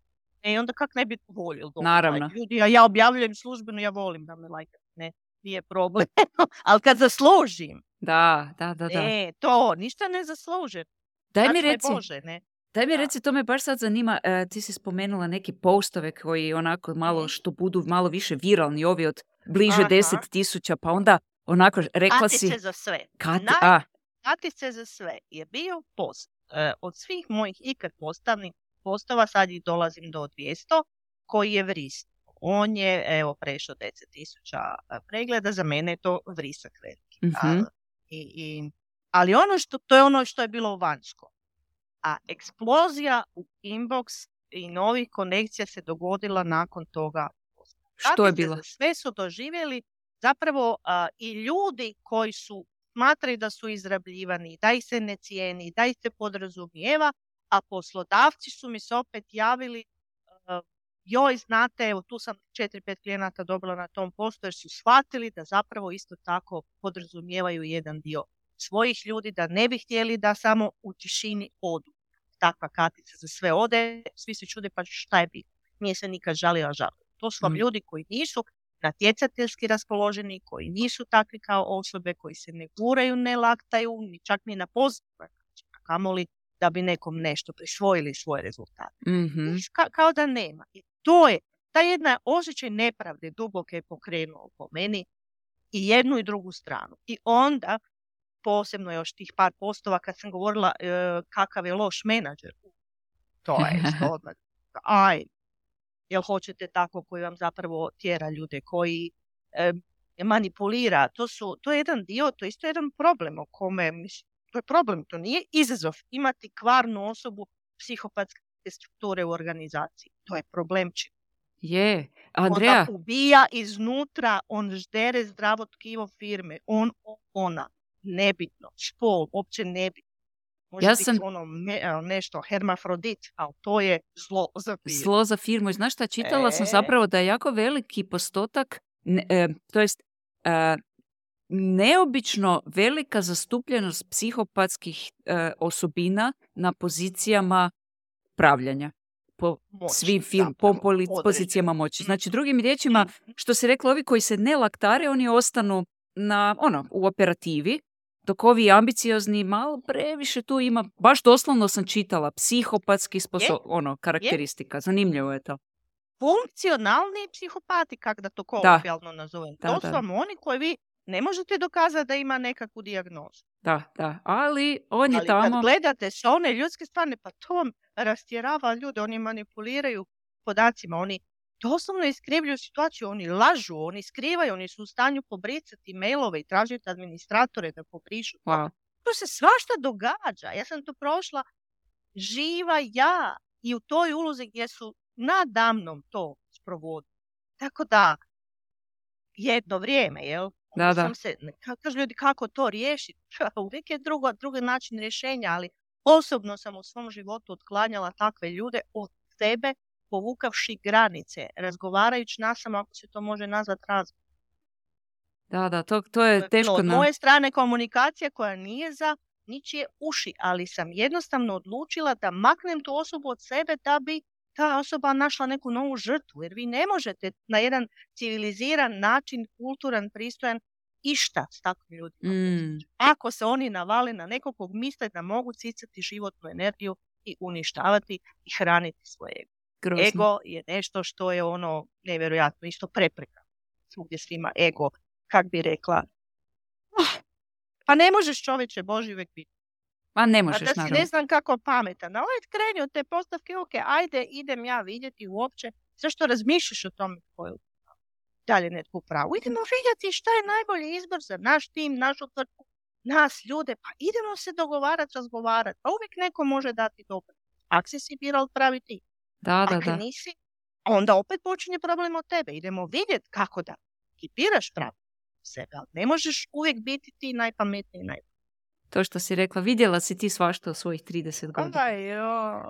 E onda kak ne bi voljeli dobiti Naravno. like ljudi, a ja objavljujem službeno, ja volim da me lajkaju, ne, nije problem. Ali kad zaslužim, Da, da, da, da. e, to, ništa ne zaslužim. Daj mi Sačuvaj reci, Bože, ne. daj mi Da. reci, to me baš sad zanima, e, ti si spomenula neke postove koji onako malo, Mhm. što budu malo više viralni, ovi od bliže Aha. deset tisuća, pa onda onako rekla si, Katice za sve. Kati, Naj- a, Katice za sve je bio post. E, od svih mojih ikad postavnih postova, sad ih dolazim do dvjesto, koji je vris. On je, evo, prešao deset tisuća pregleda, za mene je to vrisak veliki. Mhm. A, i, i, ali ono što, to je ono što je bilo vanjsko. A eksplozija u inbox i novih konekcija se dogodila nakon toga. Što je Takvi se bilo? za sve su doživjeli zapravo a, i ljudi koji su smatraju da su izrabljivani, da ih se ne cijeni, da ih se podrazumijeva, a poslodavci su mi se opet javili, a, joj, znate, evo tu sam četiri, pet klijenata dobila na tom poslu jer su shvatili da zapravo isto tako podrazumijevaju jedan dio svojih ljudi, da ne bi htjeli da samo u tišini odu. Takva Katica za sve ode, svi se čude, pa šta je bilo? Nije se nikad žalila žalila. To su vam Mm. ljudi koji nisu natjecateljski raspoloženi, koji nisu takvi kao osobe, koji se ne guraju, ne laktaju, ni čak ni na pozitivan način, a kamoli da bi nekom nešto prisvojili svoje rezultate. Mhm. Niš, ka- kao da nema. I to je, ta jedna osjećaj nepravde duboke je pokrenuo po meni i jednu i drugu stranu. I onda, posebno još tih par postova kad sam govorila e, kakav je loš menadžer, to je isto odmah. Aj, jel hoćete tako koji vam zapravo tjera ljude, koji e, manipulira, to, su, to je jedan dio, to je isto jedan problem o kome, mislim, to je problem, to nije izazov imati kvarnu osobu psihopatske strukture u organizaciji. To je problemčin. Je. On Andreja, ga ubija iznutra, on ždere zdravo tkivo firme, on, ona, nebitno, spol, uopće nebitno. Može Ja biti sam- ono me- nešto, hermafrodit, ali to je zlo za firmu. zlo za firmu. I znaš šta, čitala sam E. zapravo da je jako veliki postotak, ne, e, to jest e, neobično velika zastupljenost psihopatskih e, osobina na pozicijama pravljanja. Po Moći, svim film, po zapravo, poli- određeno. pozicijama moći. Znači, drugim riječima, što se rekla, ovi koji se ne laktare, oni ostanu na, ono, u operativi, dok ovi ambiciozni malo previše tu ima, baš doslovno sam čitala, psihopatski sposo- ono, karakteristika. Zanimljivo je to. Funkcionalni psihopati, kak da to kolokvijalno nazovem. Da, to da. su vam oni koji vi ne možete dokazati da ima nekakvu dijagnozu. Da, da. Ali on je Ali tamo... kad gledate sa one ljudske strane, pa to vam rastjerava ljude, oni manipuliraju podacima, oni doslovno iskrivljuju situaciju, oni lažu, oni skrivaju, oni su u stanju pobricati mailove i tražiti administratore da pobrišu. Wow. To se svašta događa. Ja sam to prošla živa ja i u toj ulozi gdje su nadamnom to sprovodili. Tako da, jedno vrijeme, jel? Da, Onda da. sam se, ka- kažu ljudi kako to riješiti. Uvijek je drugo, drugi način rješenja, ali osobno sam u svom životu otklanjala takve ljude od sebe, povukavši granice, razgovarajući nasama, ako se to može nazvati razgovor. Da, da, to, to je No, teško od na... moje strane komunikacija koja nije za ničije uši, ali sam jednostavno odlučila da maknem tu osobu od sebe da bi ta osoba našla neku novu žrtvu, jer vi ne možete na jedan civiliziran način, kulturan, pristojan, išta s takvim ljudima. Mm, Ako se oni navale na nekog kog misle da mogu cicati životnu energiju i uništavati i hraniti svoje ego. grozno. Ego je nešto što je ono nevjerojatno, isto prepreka. Svugdje svima ego, kak bi rekla, "Ah, pa ne možeš čovječe Boži uvijek biti. Ma ne A možeš, da si naravno. ne znam kako pametan. Ali kreni od te postavke, ok, ajde, idem ja vidjeti uopće. Zašto razmišljaš o tome tko je u pravu? Dalje netko u pravu. Idemo vidjeti šta je najbolji izbor za naš tim, našu tvrtku, nas ljude. Pa idemo se dogovarati, razgovarati. Pa uvijek neko može dati dobro. Ako si si birao pravi tim. Da, da, Ako da. nisi, onda opet počinje problem od tebe. Idemo vidjeti kako da ekipiraš pravi sebe. Ali ne možeš uvijek biti ti najpametniji i najbolji. To što si rekla, vidjela si ti svašta u svojih trideset godina. Aj, joj.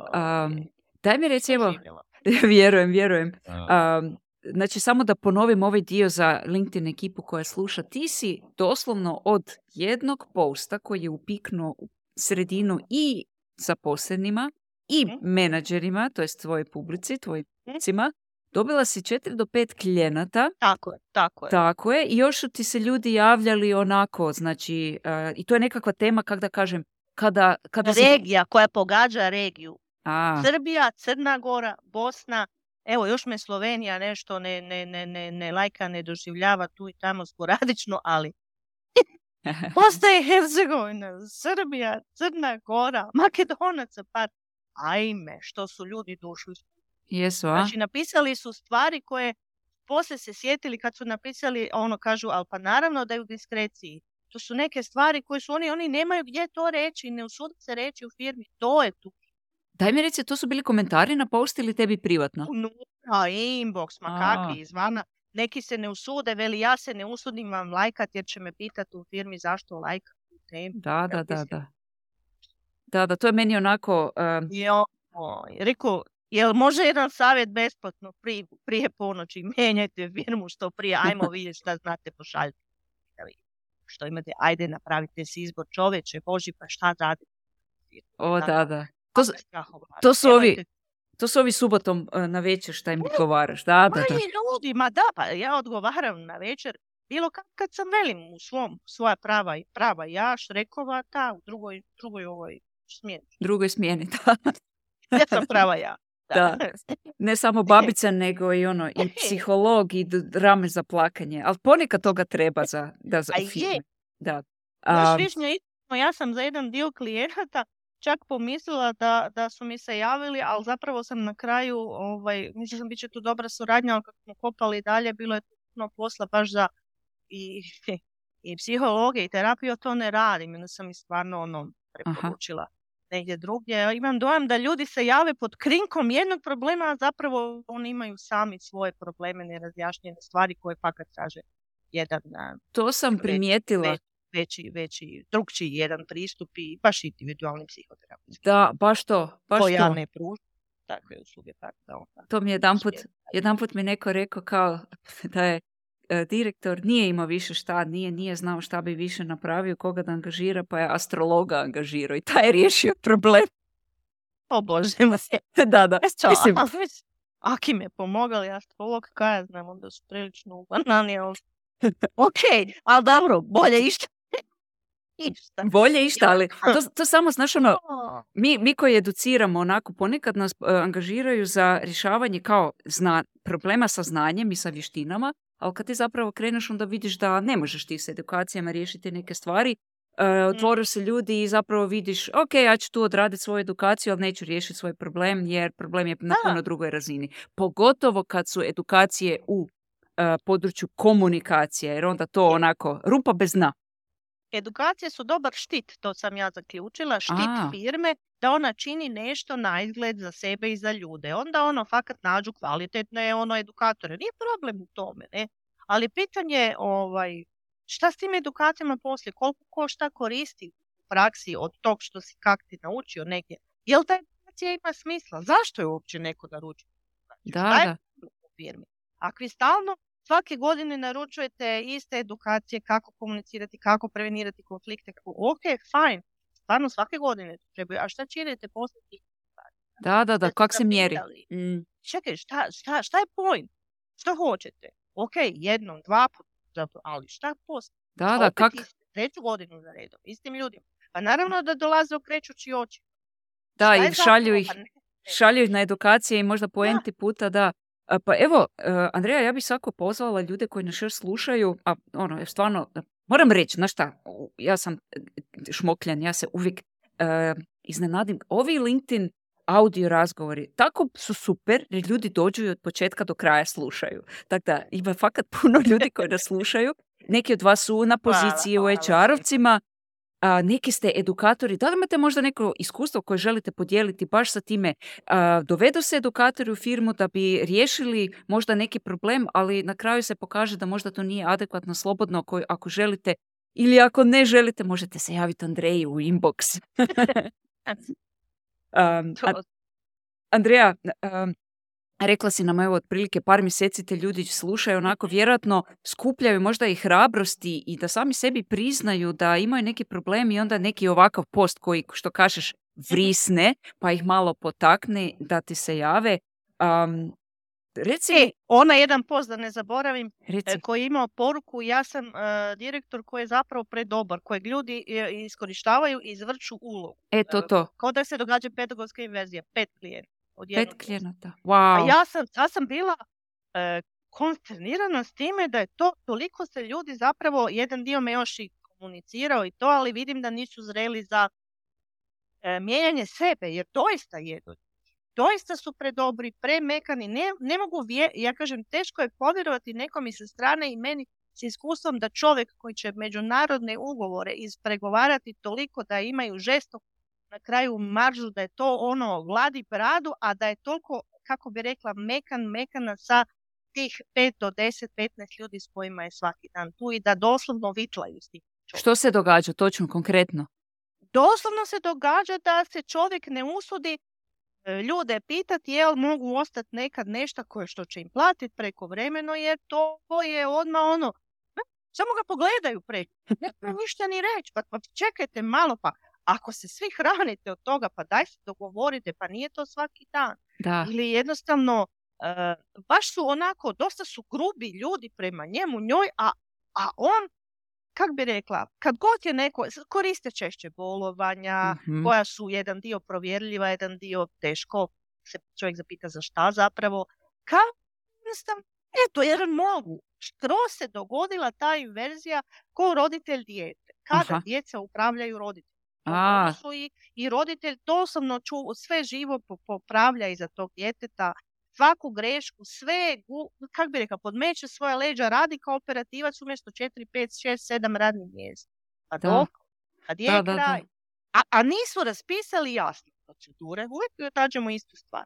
Um, daj mi reci, evo, Živjela. vjerujem, vjerujem. Um, znači, samo da ponovim ovaj dio za LinkedIn ekipu koja sluša. Ti si doslovno od jednog posta koji je upiknuo u sredinu i zaposlenima i Mhm. menadžerima, to jest tvoje publici, tvojim publicima, dobila si četiri do pet klijenata. Tako je, tako je. Tako je, i još su ti se ljudi javljali onako, znači, uh, i to je nekakva tema, kako da kažem, kada, kada si... Regija koja pogađa regiju. A, Srbija, Crna Gora, Bosna, evo još me Slovenija nešto ne, ne, ne, ne, ne lajka, ne doživljava tu i tamo sporadično, ali Bosna i Hercegovina, Srbija, Crna Gora, Makedonaca, par, ajme, što su ljudi došli. jesu, a? Znači, napisali su stvari koje poslije se sjetili kad su napisali, ono kažu, ali pa naravno da je u diskreciji. To su neke stvari koje su oni, oni nemaju gdje to reći, ne usude se reći u firmi, to je tu. Daj mi reci, to su bili komentari na post ili tebi privatno? Unutra, inbox, ma A. kakvi, izvana. Neki se ne usude, veli ja se ne usudim vam lajkat jer će me pitati u firmi zašto lajkat. Da, da, da, da. Da, da, to je meni onako... Um... Jo, reku, jel može jedan savjet besplatno prije, prije ponoći? Mijenjajte firmu što prije, ajmo vidjeti šta znate, pošaljite. Što imate, ajde napravite si izbor, čoveče, Boži, pa šta radite? O, da, da. To, to su ovi... To su ovi subotom uh, na večer šta im odgovaraš, da, da, da. Ljudi, ma da, pa ja odgovaram na večer, bilo kad, kad sam velim u svom, svoja prava, prava ja, Šrekova, ta, u drugoj, drugoj ovoj smjeni. Drugoj smjeni, da. Ja sam prava ja. Da. Da. Ne samo babica, nego i ono, i psiholog, i rame za plakanje, ali ponekad toga treba za, da za firme. Da. Znaš, Višnja, ja sam za jedan dio klijenata čak pomislila da, da su mi se javili, ali zapravo sam na kraju, ovaj, mislim sam bit će tu dobra suradnja, ali kako smo kopali dalje, bilo je puno posla baš za i, i psihologe i terapiju, to ne radim, onda sam i stvarno ono preporučila. Aha. Negdje drugdje. Imam dojam da ljudi se jave pod krinkom jednog problema, a zapravo oni imaju sami svoje probleme, nerazjašnjene stvari koje fakat traže jedan... To sam primijetila. Veći, veći, veći, drugčiji jedan pristup i baš individualni psihoterapijski. Da, baš to. Baš to ja to. ne pružim takve usluge. Tako da onda. To mi je jedan put, jedan put mi neko rekao kao da je e, direktor nije imao više šta, nije, nije znao šta bi više napravio, koga da angažira, pa je astrologa angažirao i taj je riješio problem. O Bože, ma se. Da, da. Mislim, aki me pomagali, astrolog, kaj ja znam, onda su prilično u banani, ali... ok, ali dobro, bolje išta. Išta. Bolje išta, ali to, to samo, znaš, ono, mi, mi koji educiramo, onako, ponekad nas uh, angažiraju za rješavanje kao zna, problema sa znanjem i sa vještinama, ali kad ti zapravo kreneš, onda vidiš da ne možeš ti s edukacijama riješiti neke stvari, uh, otvoriš se ljudi i zapravo vidiš, ok, ja ću tu odraditi svoju edukaciju, ali neću riješiti svoj problem, jer problem je na puno drugoj razini. Pogotovo kad su edukacije u uh, području komunikacije, jer onda to onako, rupa bez dna. Edukacije su dobar štit, to sam ja zaključila, štit A. firme, da ona čini nešto na izgled za sebe i za ljude. Onda ono fakat nađu kvalitetne ono edukatore. Nije problem u tome, ne? Ali pitanje ovaj, šta s tim edukacijama poslije, koliko ko šta koristi u praksi od tog što si kak ti naučio negdje. Jel ta edukacija ima smisla? Zašto je uopće neko naručio? Da, šta da. U firmi? Ako vi stalno svake godine naručujete iste edukacije kako komunicirati, kako prevenirati konflikte. Ok, fajn. Stvarno svake godine trebaju. A šta činite poslije? Da, da, da. Kako se mjeri? Mm. Čekaj, šta, šta, šta je point? Što hoćete? Ok, jednom, dva puta, ali šta poslije? Da, da, kak... Treću godinu za redom, istim ljudima. Pa naravno da dolaze okrećući oči. Da, i šalju ih, šalju ih na edukacije i možda po enti puta, da. Pa evo, Andreja, ja bih svako pozvala ljude koji nas još slušaju, a ono, stvarno, moram reći, znaš šta, ja sam šmokljan, ja se uvijek uh, iznenadim. Ovi LinkedIn audio razgovori tako su super, jer ljudi dođu i od početka do kraja slušaju. Tako da, ima fakat puno ljudi koji nas slušaju. Neki od vas su na poziciji hvala, u H R-ovcima, a, neki ste edukatori. Da li imate možda neko iskustvo koje želite podijeliti baš sa time? A, dovedu se edukatori u firmu da bi riješili možda neki problem, ali na kraju se pokaže da možda to nije adekvatno, slobodno. Ako, ako želite ili ako ne želite, možete se javiti Andreji u inbox. um, a, Andreja, um, rekla si nam, evo, otprilike par mjeseci te ljudi slušaju, onako vjerojatno skupljaju možda i hrabrosti i da sami sebi priznaju da imaju neki problem i onda neki ovakav post koji, što kažeš, vrisne, pa ih malo potakne da ti se jave. Um, reci... E, ona jedan post, da ne zaboravim, reci. koji je imao poruku, ja sam uh, direktor koji je zapravo predobar, kojeg ljudi iskorištavaju i izvrću ulogu. E, to, to. Kao da se događa pedagoška inverzija, pet klijenata. Pet klijenata, wow. A ja sam, ja sam bila e, konsternirana s time da je to, toliko se ljudi zapravo, jedan dio me još i komunicirao i to, ali vidim da nisu zreli za e, mijenjanje sebe, jer doista jedu. Doista su predobri, premekani, ne, ne mogu, vje, ja kažem, teško je povjerovati nekom i sa strane i meni s iskustvom da čovjek koji će međunarodne ugovore ispregovarati toliko da imaju žestok na kraju maržu da je to ono gladi bradu, a da je toliko, kako bi rekla, mekan, mekana sa tih pet do deset, petnaest ljudi s kojima je svaki dan tu i da doslovno vitlaju s tim čovjekom. Što se događa točno, konkretno? Doslovno se događa da se čovjek ne usudi e, ljude pitati jel mogu ostati nekad nešto koje što će im platiti prekovremeno, jer to je odmah ono, ne, samo ga pogledaju preko, ne treba ništa ni reći, pa, pa čekajte malo, pa ako se svi hranite od toga, pa daj se dogovorite, pa nije to svaki dan. Da. Ili jednostavno, e, baš su onako, dosta su grubi ljudi prema njemu, njoj, a, a on, kak bi rekla, kad god je neko, koriste češće bolovanja, Mhm. koja su jedan dio provjerljiva, jedan dio teško, se čovjek zapita za šta zapravo, kao jednostavno, eto, jer mogu. Skroz se dogodila ta inverzija ko roditelj dijete. Kada Aha. djeca upravljaju roditelj. A, Su i, i roditelj doslovno ču, sve živo po- popravlja iza tog djeteta, svaku grešku, sve, gu- kak bi rekao, podmeće svoja leđa, radi kao operativac umjesto četiri, pet, šest, sedam radnih mjesta. A Da. dok, kad je Da, da, da. kraj. A, a nisu raspisali jasne procedure, uvijek nađemo istu stvar.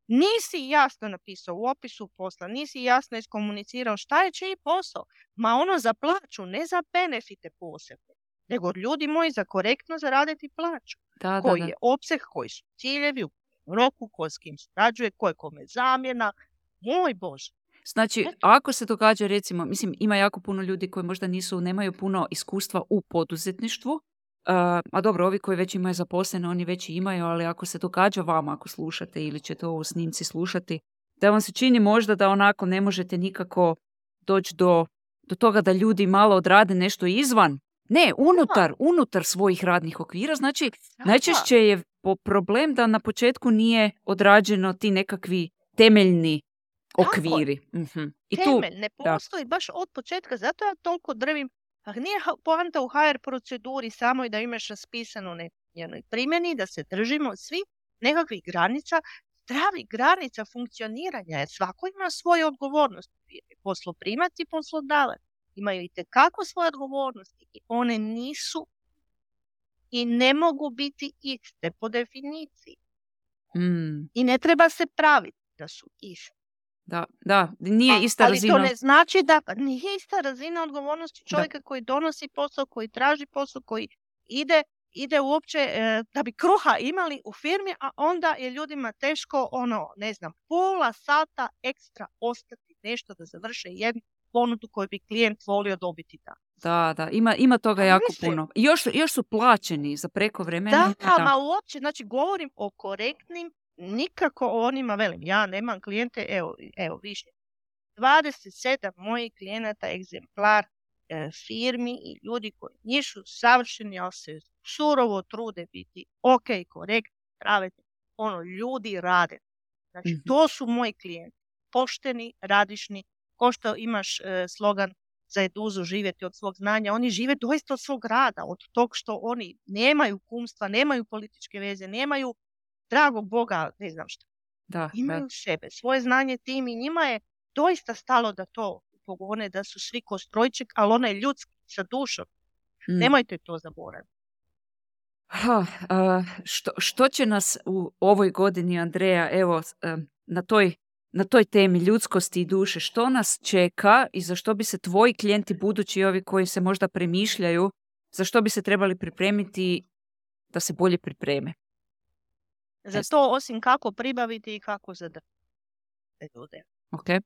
Nisi jasno napisao u opisu posla, nisi jasno iskomunicirao šta je čiji posao, ma ono za plaću, ne za benefite posebne, nego ljudi moji za korektno zaraditi plaću. Da, da, Koji da. je opseg, koji su ciljevi, u kojem roku, ko s kim surađuje, ko je kome zamjena. Moj Bože. Znači, ako se događa, recimo, mislim, ima jako puno ljudi koji možda nisu, nemaju puno iskustva u poduzetništvu, uh, a dobro, ovi koji već imaju zaposlene, oni već i imaju, ali ako se događa vama, ako slušate ili ćete ovo u snimci slušati, da vam se čini možda da onako ne možete nikako doći do, do toga da ljudi malo odrade nešto izvan, ne, unutar, unutar svojih radnih okvira, znači, najčešće je po- problem da na početku nije odrađeno ti nekakvi temeljni Tako je. okviri. Mhm. I tu, Temelj ne da. postoji baš od početka, zato ja toliko drvim. Pa nije ha- poanta u ha er proceduri samo i da imaš raspisano ne njenoj primjeni, da se držimo svi nekakvih granica, zdravih granica funkcioniranja, jer svako ima svoje odgovornosti. Posloprimac i poslodavac imaju itekako svoje odgovornosti i one nisu i ne mogu biti iste po definiciji. Mm, I ne treba se praviti da su iste. da, da, nije A- ista ali razina. to ne znači da pa nije ista razina odgovornosti čovjeka koji donosi posao, koji traži posao, koji ide, ide uopće e, da bi kruha imali u firmi, a onda je ljudima teško, ono, ne znam, pola sata ekstra ostati nešto da završe jednu ponudu koju bi klijent volio dobiti da. Da, da, ima, ima toga Pa jako mislim. puno. I još, su- još su plaćeni za prekovremeni. Da, ma uopće, znači govorim o korektnim, nikako o onima, velim, ja nemam klijente, evo, evo više, dvadeset sedam mojih klijenata egzemplar e, firmi i ljudi koji nisu savršeni, ali se surovo trude biti ok, korektni, pravedni, ono, ljudi rade. Znači, Mhm. to su moji klijenti, pošteni, radišni, ko što imaš e, slogan za eduzu živjeti od svog znanja, oni žive doista od svog rada, od tog što oni nemaju kumstva, nemaju političke veze, nemaju dragog Boga, ne znam šta. Da, Imaju da. sebe, svoje znanje, tim i njima je doista stalo da to pogone, da su svi ko strojček, ali onaj ljudski sa dušom. Mm. Nemojte to zaboraviti. Ha, a, što, što će nas u ovoj godini, Andreja, evo, a, na toj, na toj temi ljudskosti i duše, što nas čeka i za što bi se tvoji klijenti, budući ovi koji se možda premišljaju, za što bi se trebali pripremiti da se bolje pripreme? Za to osim kako pribaviti i kako zadržati te ljude. Ok? E,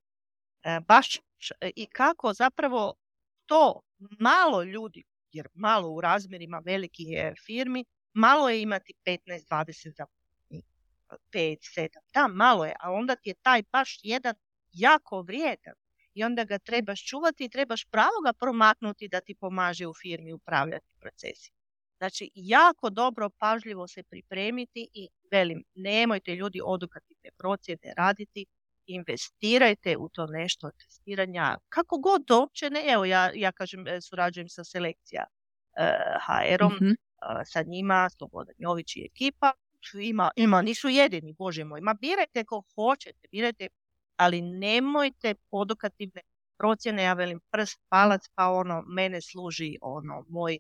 baš š- i kako zapravo to malo ljudi, jer malo u razmjerima velikih je firmi, malo je imati petnaest dvadeset zaposlenih, pet sedam, da, malo je, a onda ti je taj baš jedan jako vrijedan i onda ga trebaš čuvati i trebaš pravo ga promaknuti da ti pomaže u firmi upravljati procesima. Znači, jako dobro, pažljivo se pripremiti i velim, nemojte ljudi odukativne procjene raditi, investirajte u to nešto testiranja, kako god uopće ne, evo ja, ja kažem, e, surađujem sa selekcija e, ha erom, Mhm. e, sa njima, Slobodan Jović i ekipa, ima, ima, nisu jedini, Bože moj, ma birajte ko hoćete, birajte, ali nemojte odukativne procjene, ja velim prst, palac, pa ono, mene služi ono, moj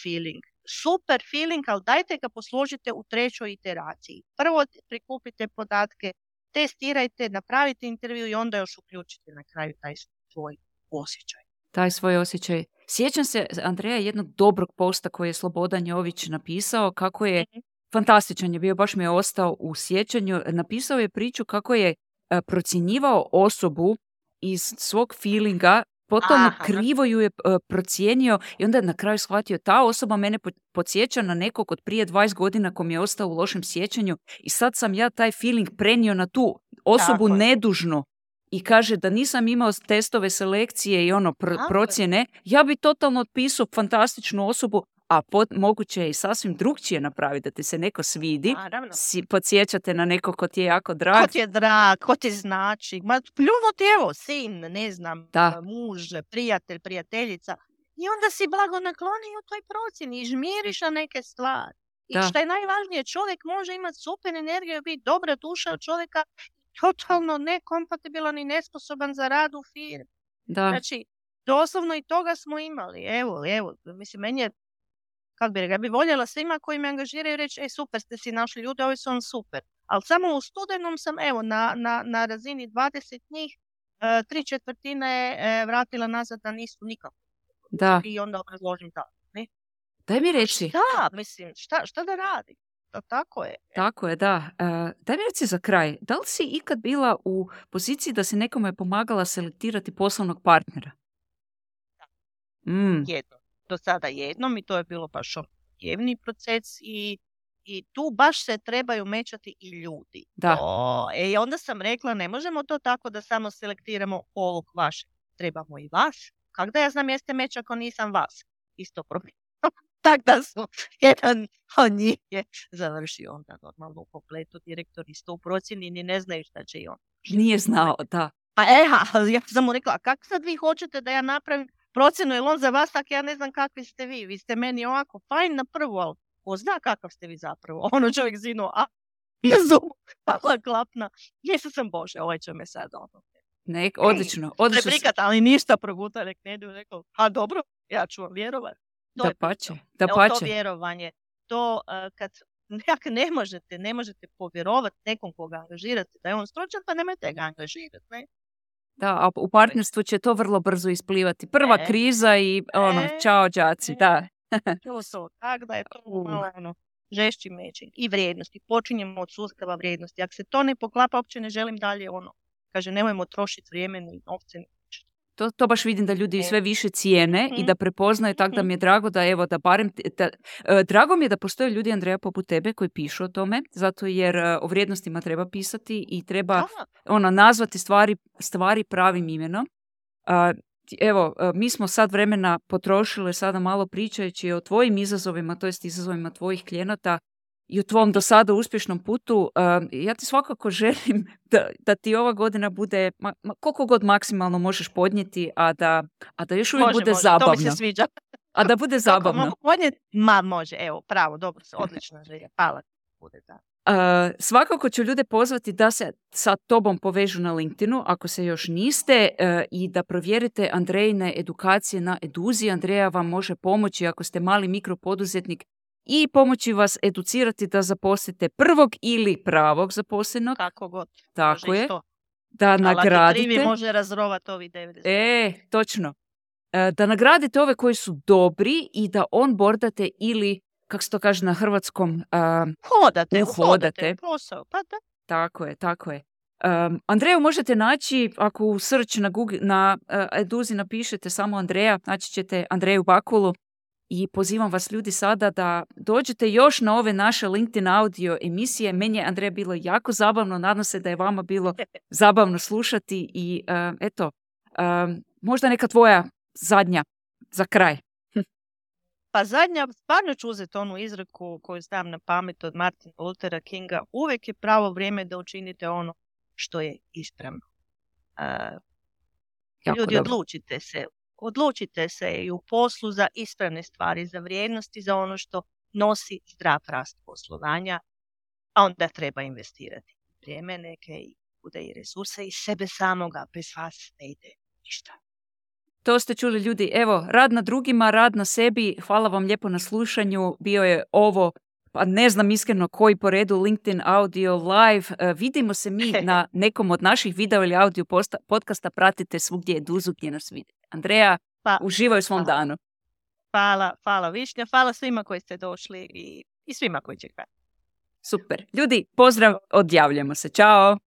feeling, super feeling, ali dajte ga posložite u trećoj iteraciji. Prvo prikupite podatke, testirajte, napravite intervju i onda još uključite na kraju taj svoj osjećaj. Taj svoj osjećaj. Sjećam se, Andreja, jednog dobrog posta koji je Slobodan Jović napisao, kako je, Mhm. fantastičan je bio, baš mi je ostao u sjećanju, napisao je priču kako je e, procjenjivao osobu iz svog feelinga, potom Aha. krivo ju je e, procijenio i onda je na kraju shvatio, ta osoba mene po- podsjeća na nekog od prije dvadeset godina ko mi je ostao u lošem sjećanju i sad sam ja taj feeling prenio na tu osobu Tako je. nedužno. I kaže da nisam imao testove selekcije i ono pr- Tako je. procjene, ja bi totalno otpisao fantastičnu osobu, a pot, moguće je i sasvim drugčije napraviti, da ti se neko svidi, Naravno. si, podsjećate na nekog ko ti je jako Ko drag. ti je drag, ko ti znači, ma pljuno ti evo, sin, ne znam, Da. muž, prijatelj, prijateljica. I onda si blago naklonio u toj procjeni i žmiriš na neke stvari. I Da. što je najvažnije, čovjek može imati super energiju, biti dobra duša od čovjeka, totalno nekompatibilan i nesposoban za rad u firmi. Da, Znači, doslovno i toga smo imali. Evo, evo, mislim, meni je, kako bi rekla, ja bi voljela svima koji me angažiraju reći, e, super ste si našli ljude, ovi su vam super. Ali samo u studenom sam, evo, na, na, na razini dvadeset njih, e, tri četvrtine e, vratila nazad da nisu nikako. da. I onda obrazložim tako. Ne? Daj mi reći. Da, mislim, šta, šta da radi? To tako je. Tako je, da. E, daj mi reci za kraj, da li si ikad bila u poziciji da si nekome pomagala selektirati poslovnog partnera? Mm, Jedno. Do sada jednom i to je bilo baš objevni proces i, i tu baš se trebaju mečati i ljudi. da, O, e, i onda sam rekla, ne možemo to tako da samo selektiramo ovog vašeg. Trebamo i vas. Kako da ja znam jeste meč ako nisam vas? Isto problem. Tak da su, jedan od njih je završio onda normalno u kompletu, direktor isto u procjeni, ni ne znaju šta će i on. nije znao, da. Pa eha, ja sam mu rekla, a kako sad vi hoćete da ja napravim procjenu, je on za vas, tak ja ne znam kakvi ste vi. Vi ste meni ovako, fajn na prvu, ali ko zna kakav ste vi zapravo. Ono čovjek zinu, a ja zumu, pala klapna. Jesu sam Bože, ovaj će me sad ono. Nek, odlično, odlično. Preprikat, ali ništa proguta, nek ne idu, rekao, a dobro, ja ću vam vjerovati. To Da je pače, to. da Evo, pače. to vjerovanje, to uh, kad nekak ne možete, ne možete povjerovati nekom koga angažirate, da je on stručan, pa nemojte ga angažirati, ne? Da, a u partnerstvu će to vrlo brzo isplivati. Prva E. kriza i ono, E. čao đaci, da. To su, tako da je to Uh. malo ono, žešći mečing. I vrijednosti. Počinjemo od sustava vrijednosti. Ako se to ne poklapa, uopće ne želim dalje ono. Kaže, nemojmo trošiti vrijeme ni novce. ni ništa. To, to baš vidim da ljudi E. sve više cijene i Mhm. da prepoznaju, tako da mi je drago da evo da barem, t- da, e, drago mi je da postoje ljudi, Andreja, poput tebe koji pišu o tome, zato jer e, o vrijednostima treba pisati i treba Da, ono, nazvati stvari, stvari pravim imenom. A, ti- evo, e, mi smo sad vremena potrošili sada malo pričajući o tvojim izazovima, to jest izazovima tvojih klijenata i o tvom do sada uspješnom putu. A, ja ti svakako želim da, da ti ova godina bude ma, ma, koliko god maksimalno možeš podnijeti, a da, a da još uvijek može, bude može. zabavno. To mi se sviđa. A da bude Kako zabavno. mogu podnijeti? Ma, može. Evo, pravo, dobro se, odlična želja. Hvala. Bude da. Uh, svakako ću ljude pozvati da se sa tobom povežu na LinkedInu ako se još niste uh, i da provjerite Andrejine edukacije na Eduzi. Andreja vam može pomoći ako ste mali mikropoduzetnik i pomoći vas educirati da zaposlite prvog ili pravog zaposlenog. Kako god. Tako Može i je. sto. Da Ali ako nagradite. krivi može razrovati ovi devedeset. E, točno. Uh, da nagradite ove koji su dobri i da onboardate ili, kako se to kaže na hrvatskom, uh, Hodate, Uhodate. uhodate. Posao. Pa da. Tako je, tako je. Um, Andreju možete naći, ako u search na, Google, na uh, Eduzi napišete samo Andreja, naći ćete Andreju Bakulu i pozivam vas ljudi sada da dođete još na ove naše LinkedIn audio emisije. Meni je, Andreja, bilo jako zabavno, nadam se da je vama bilo zabavno slušati i uh, eto, um, možda neka tvoja zadnja za kraj. Pa zadnja, stvarno ću uzeti onu izreku koju znam na pamet od Martina Luthera Kinga. Uvijek je pravo vrijeme da učinite ono što je ispravno. Uh, Jako ljudi, dobro. odlučite se. Odlučite se i u poslu za ispravne stvari, za vrijednosti, za ono što nosi zdrav rast poslovanja, a onda treba investirati vrijeme neke i bude i resurse i sebe samoga, bez vas ne ide ništa. To ste čuli ljudi. Evo, rad na drugima, rad na sebi. Hvala vam lijepo na slušanju. Bio je ovo, pa ne znam iskreno koji po redu, LinkedIn Audio Live. Uh, vidimo se mi na nekom od naših video ili audio posta, podcasta. Pratite svugdje Eduzu gdje nas vidite. Andreja, Pa, uživaj u svom hvala. danu. Hvala, hvala Višnja, hvala svima koji ste došli i, i svima koji će gledati. Super. Ljudi, pozdrav, odjavljamo se. Ćao!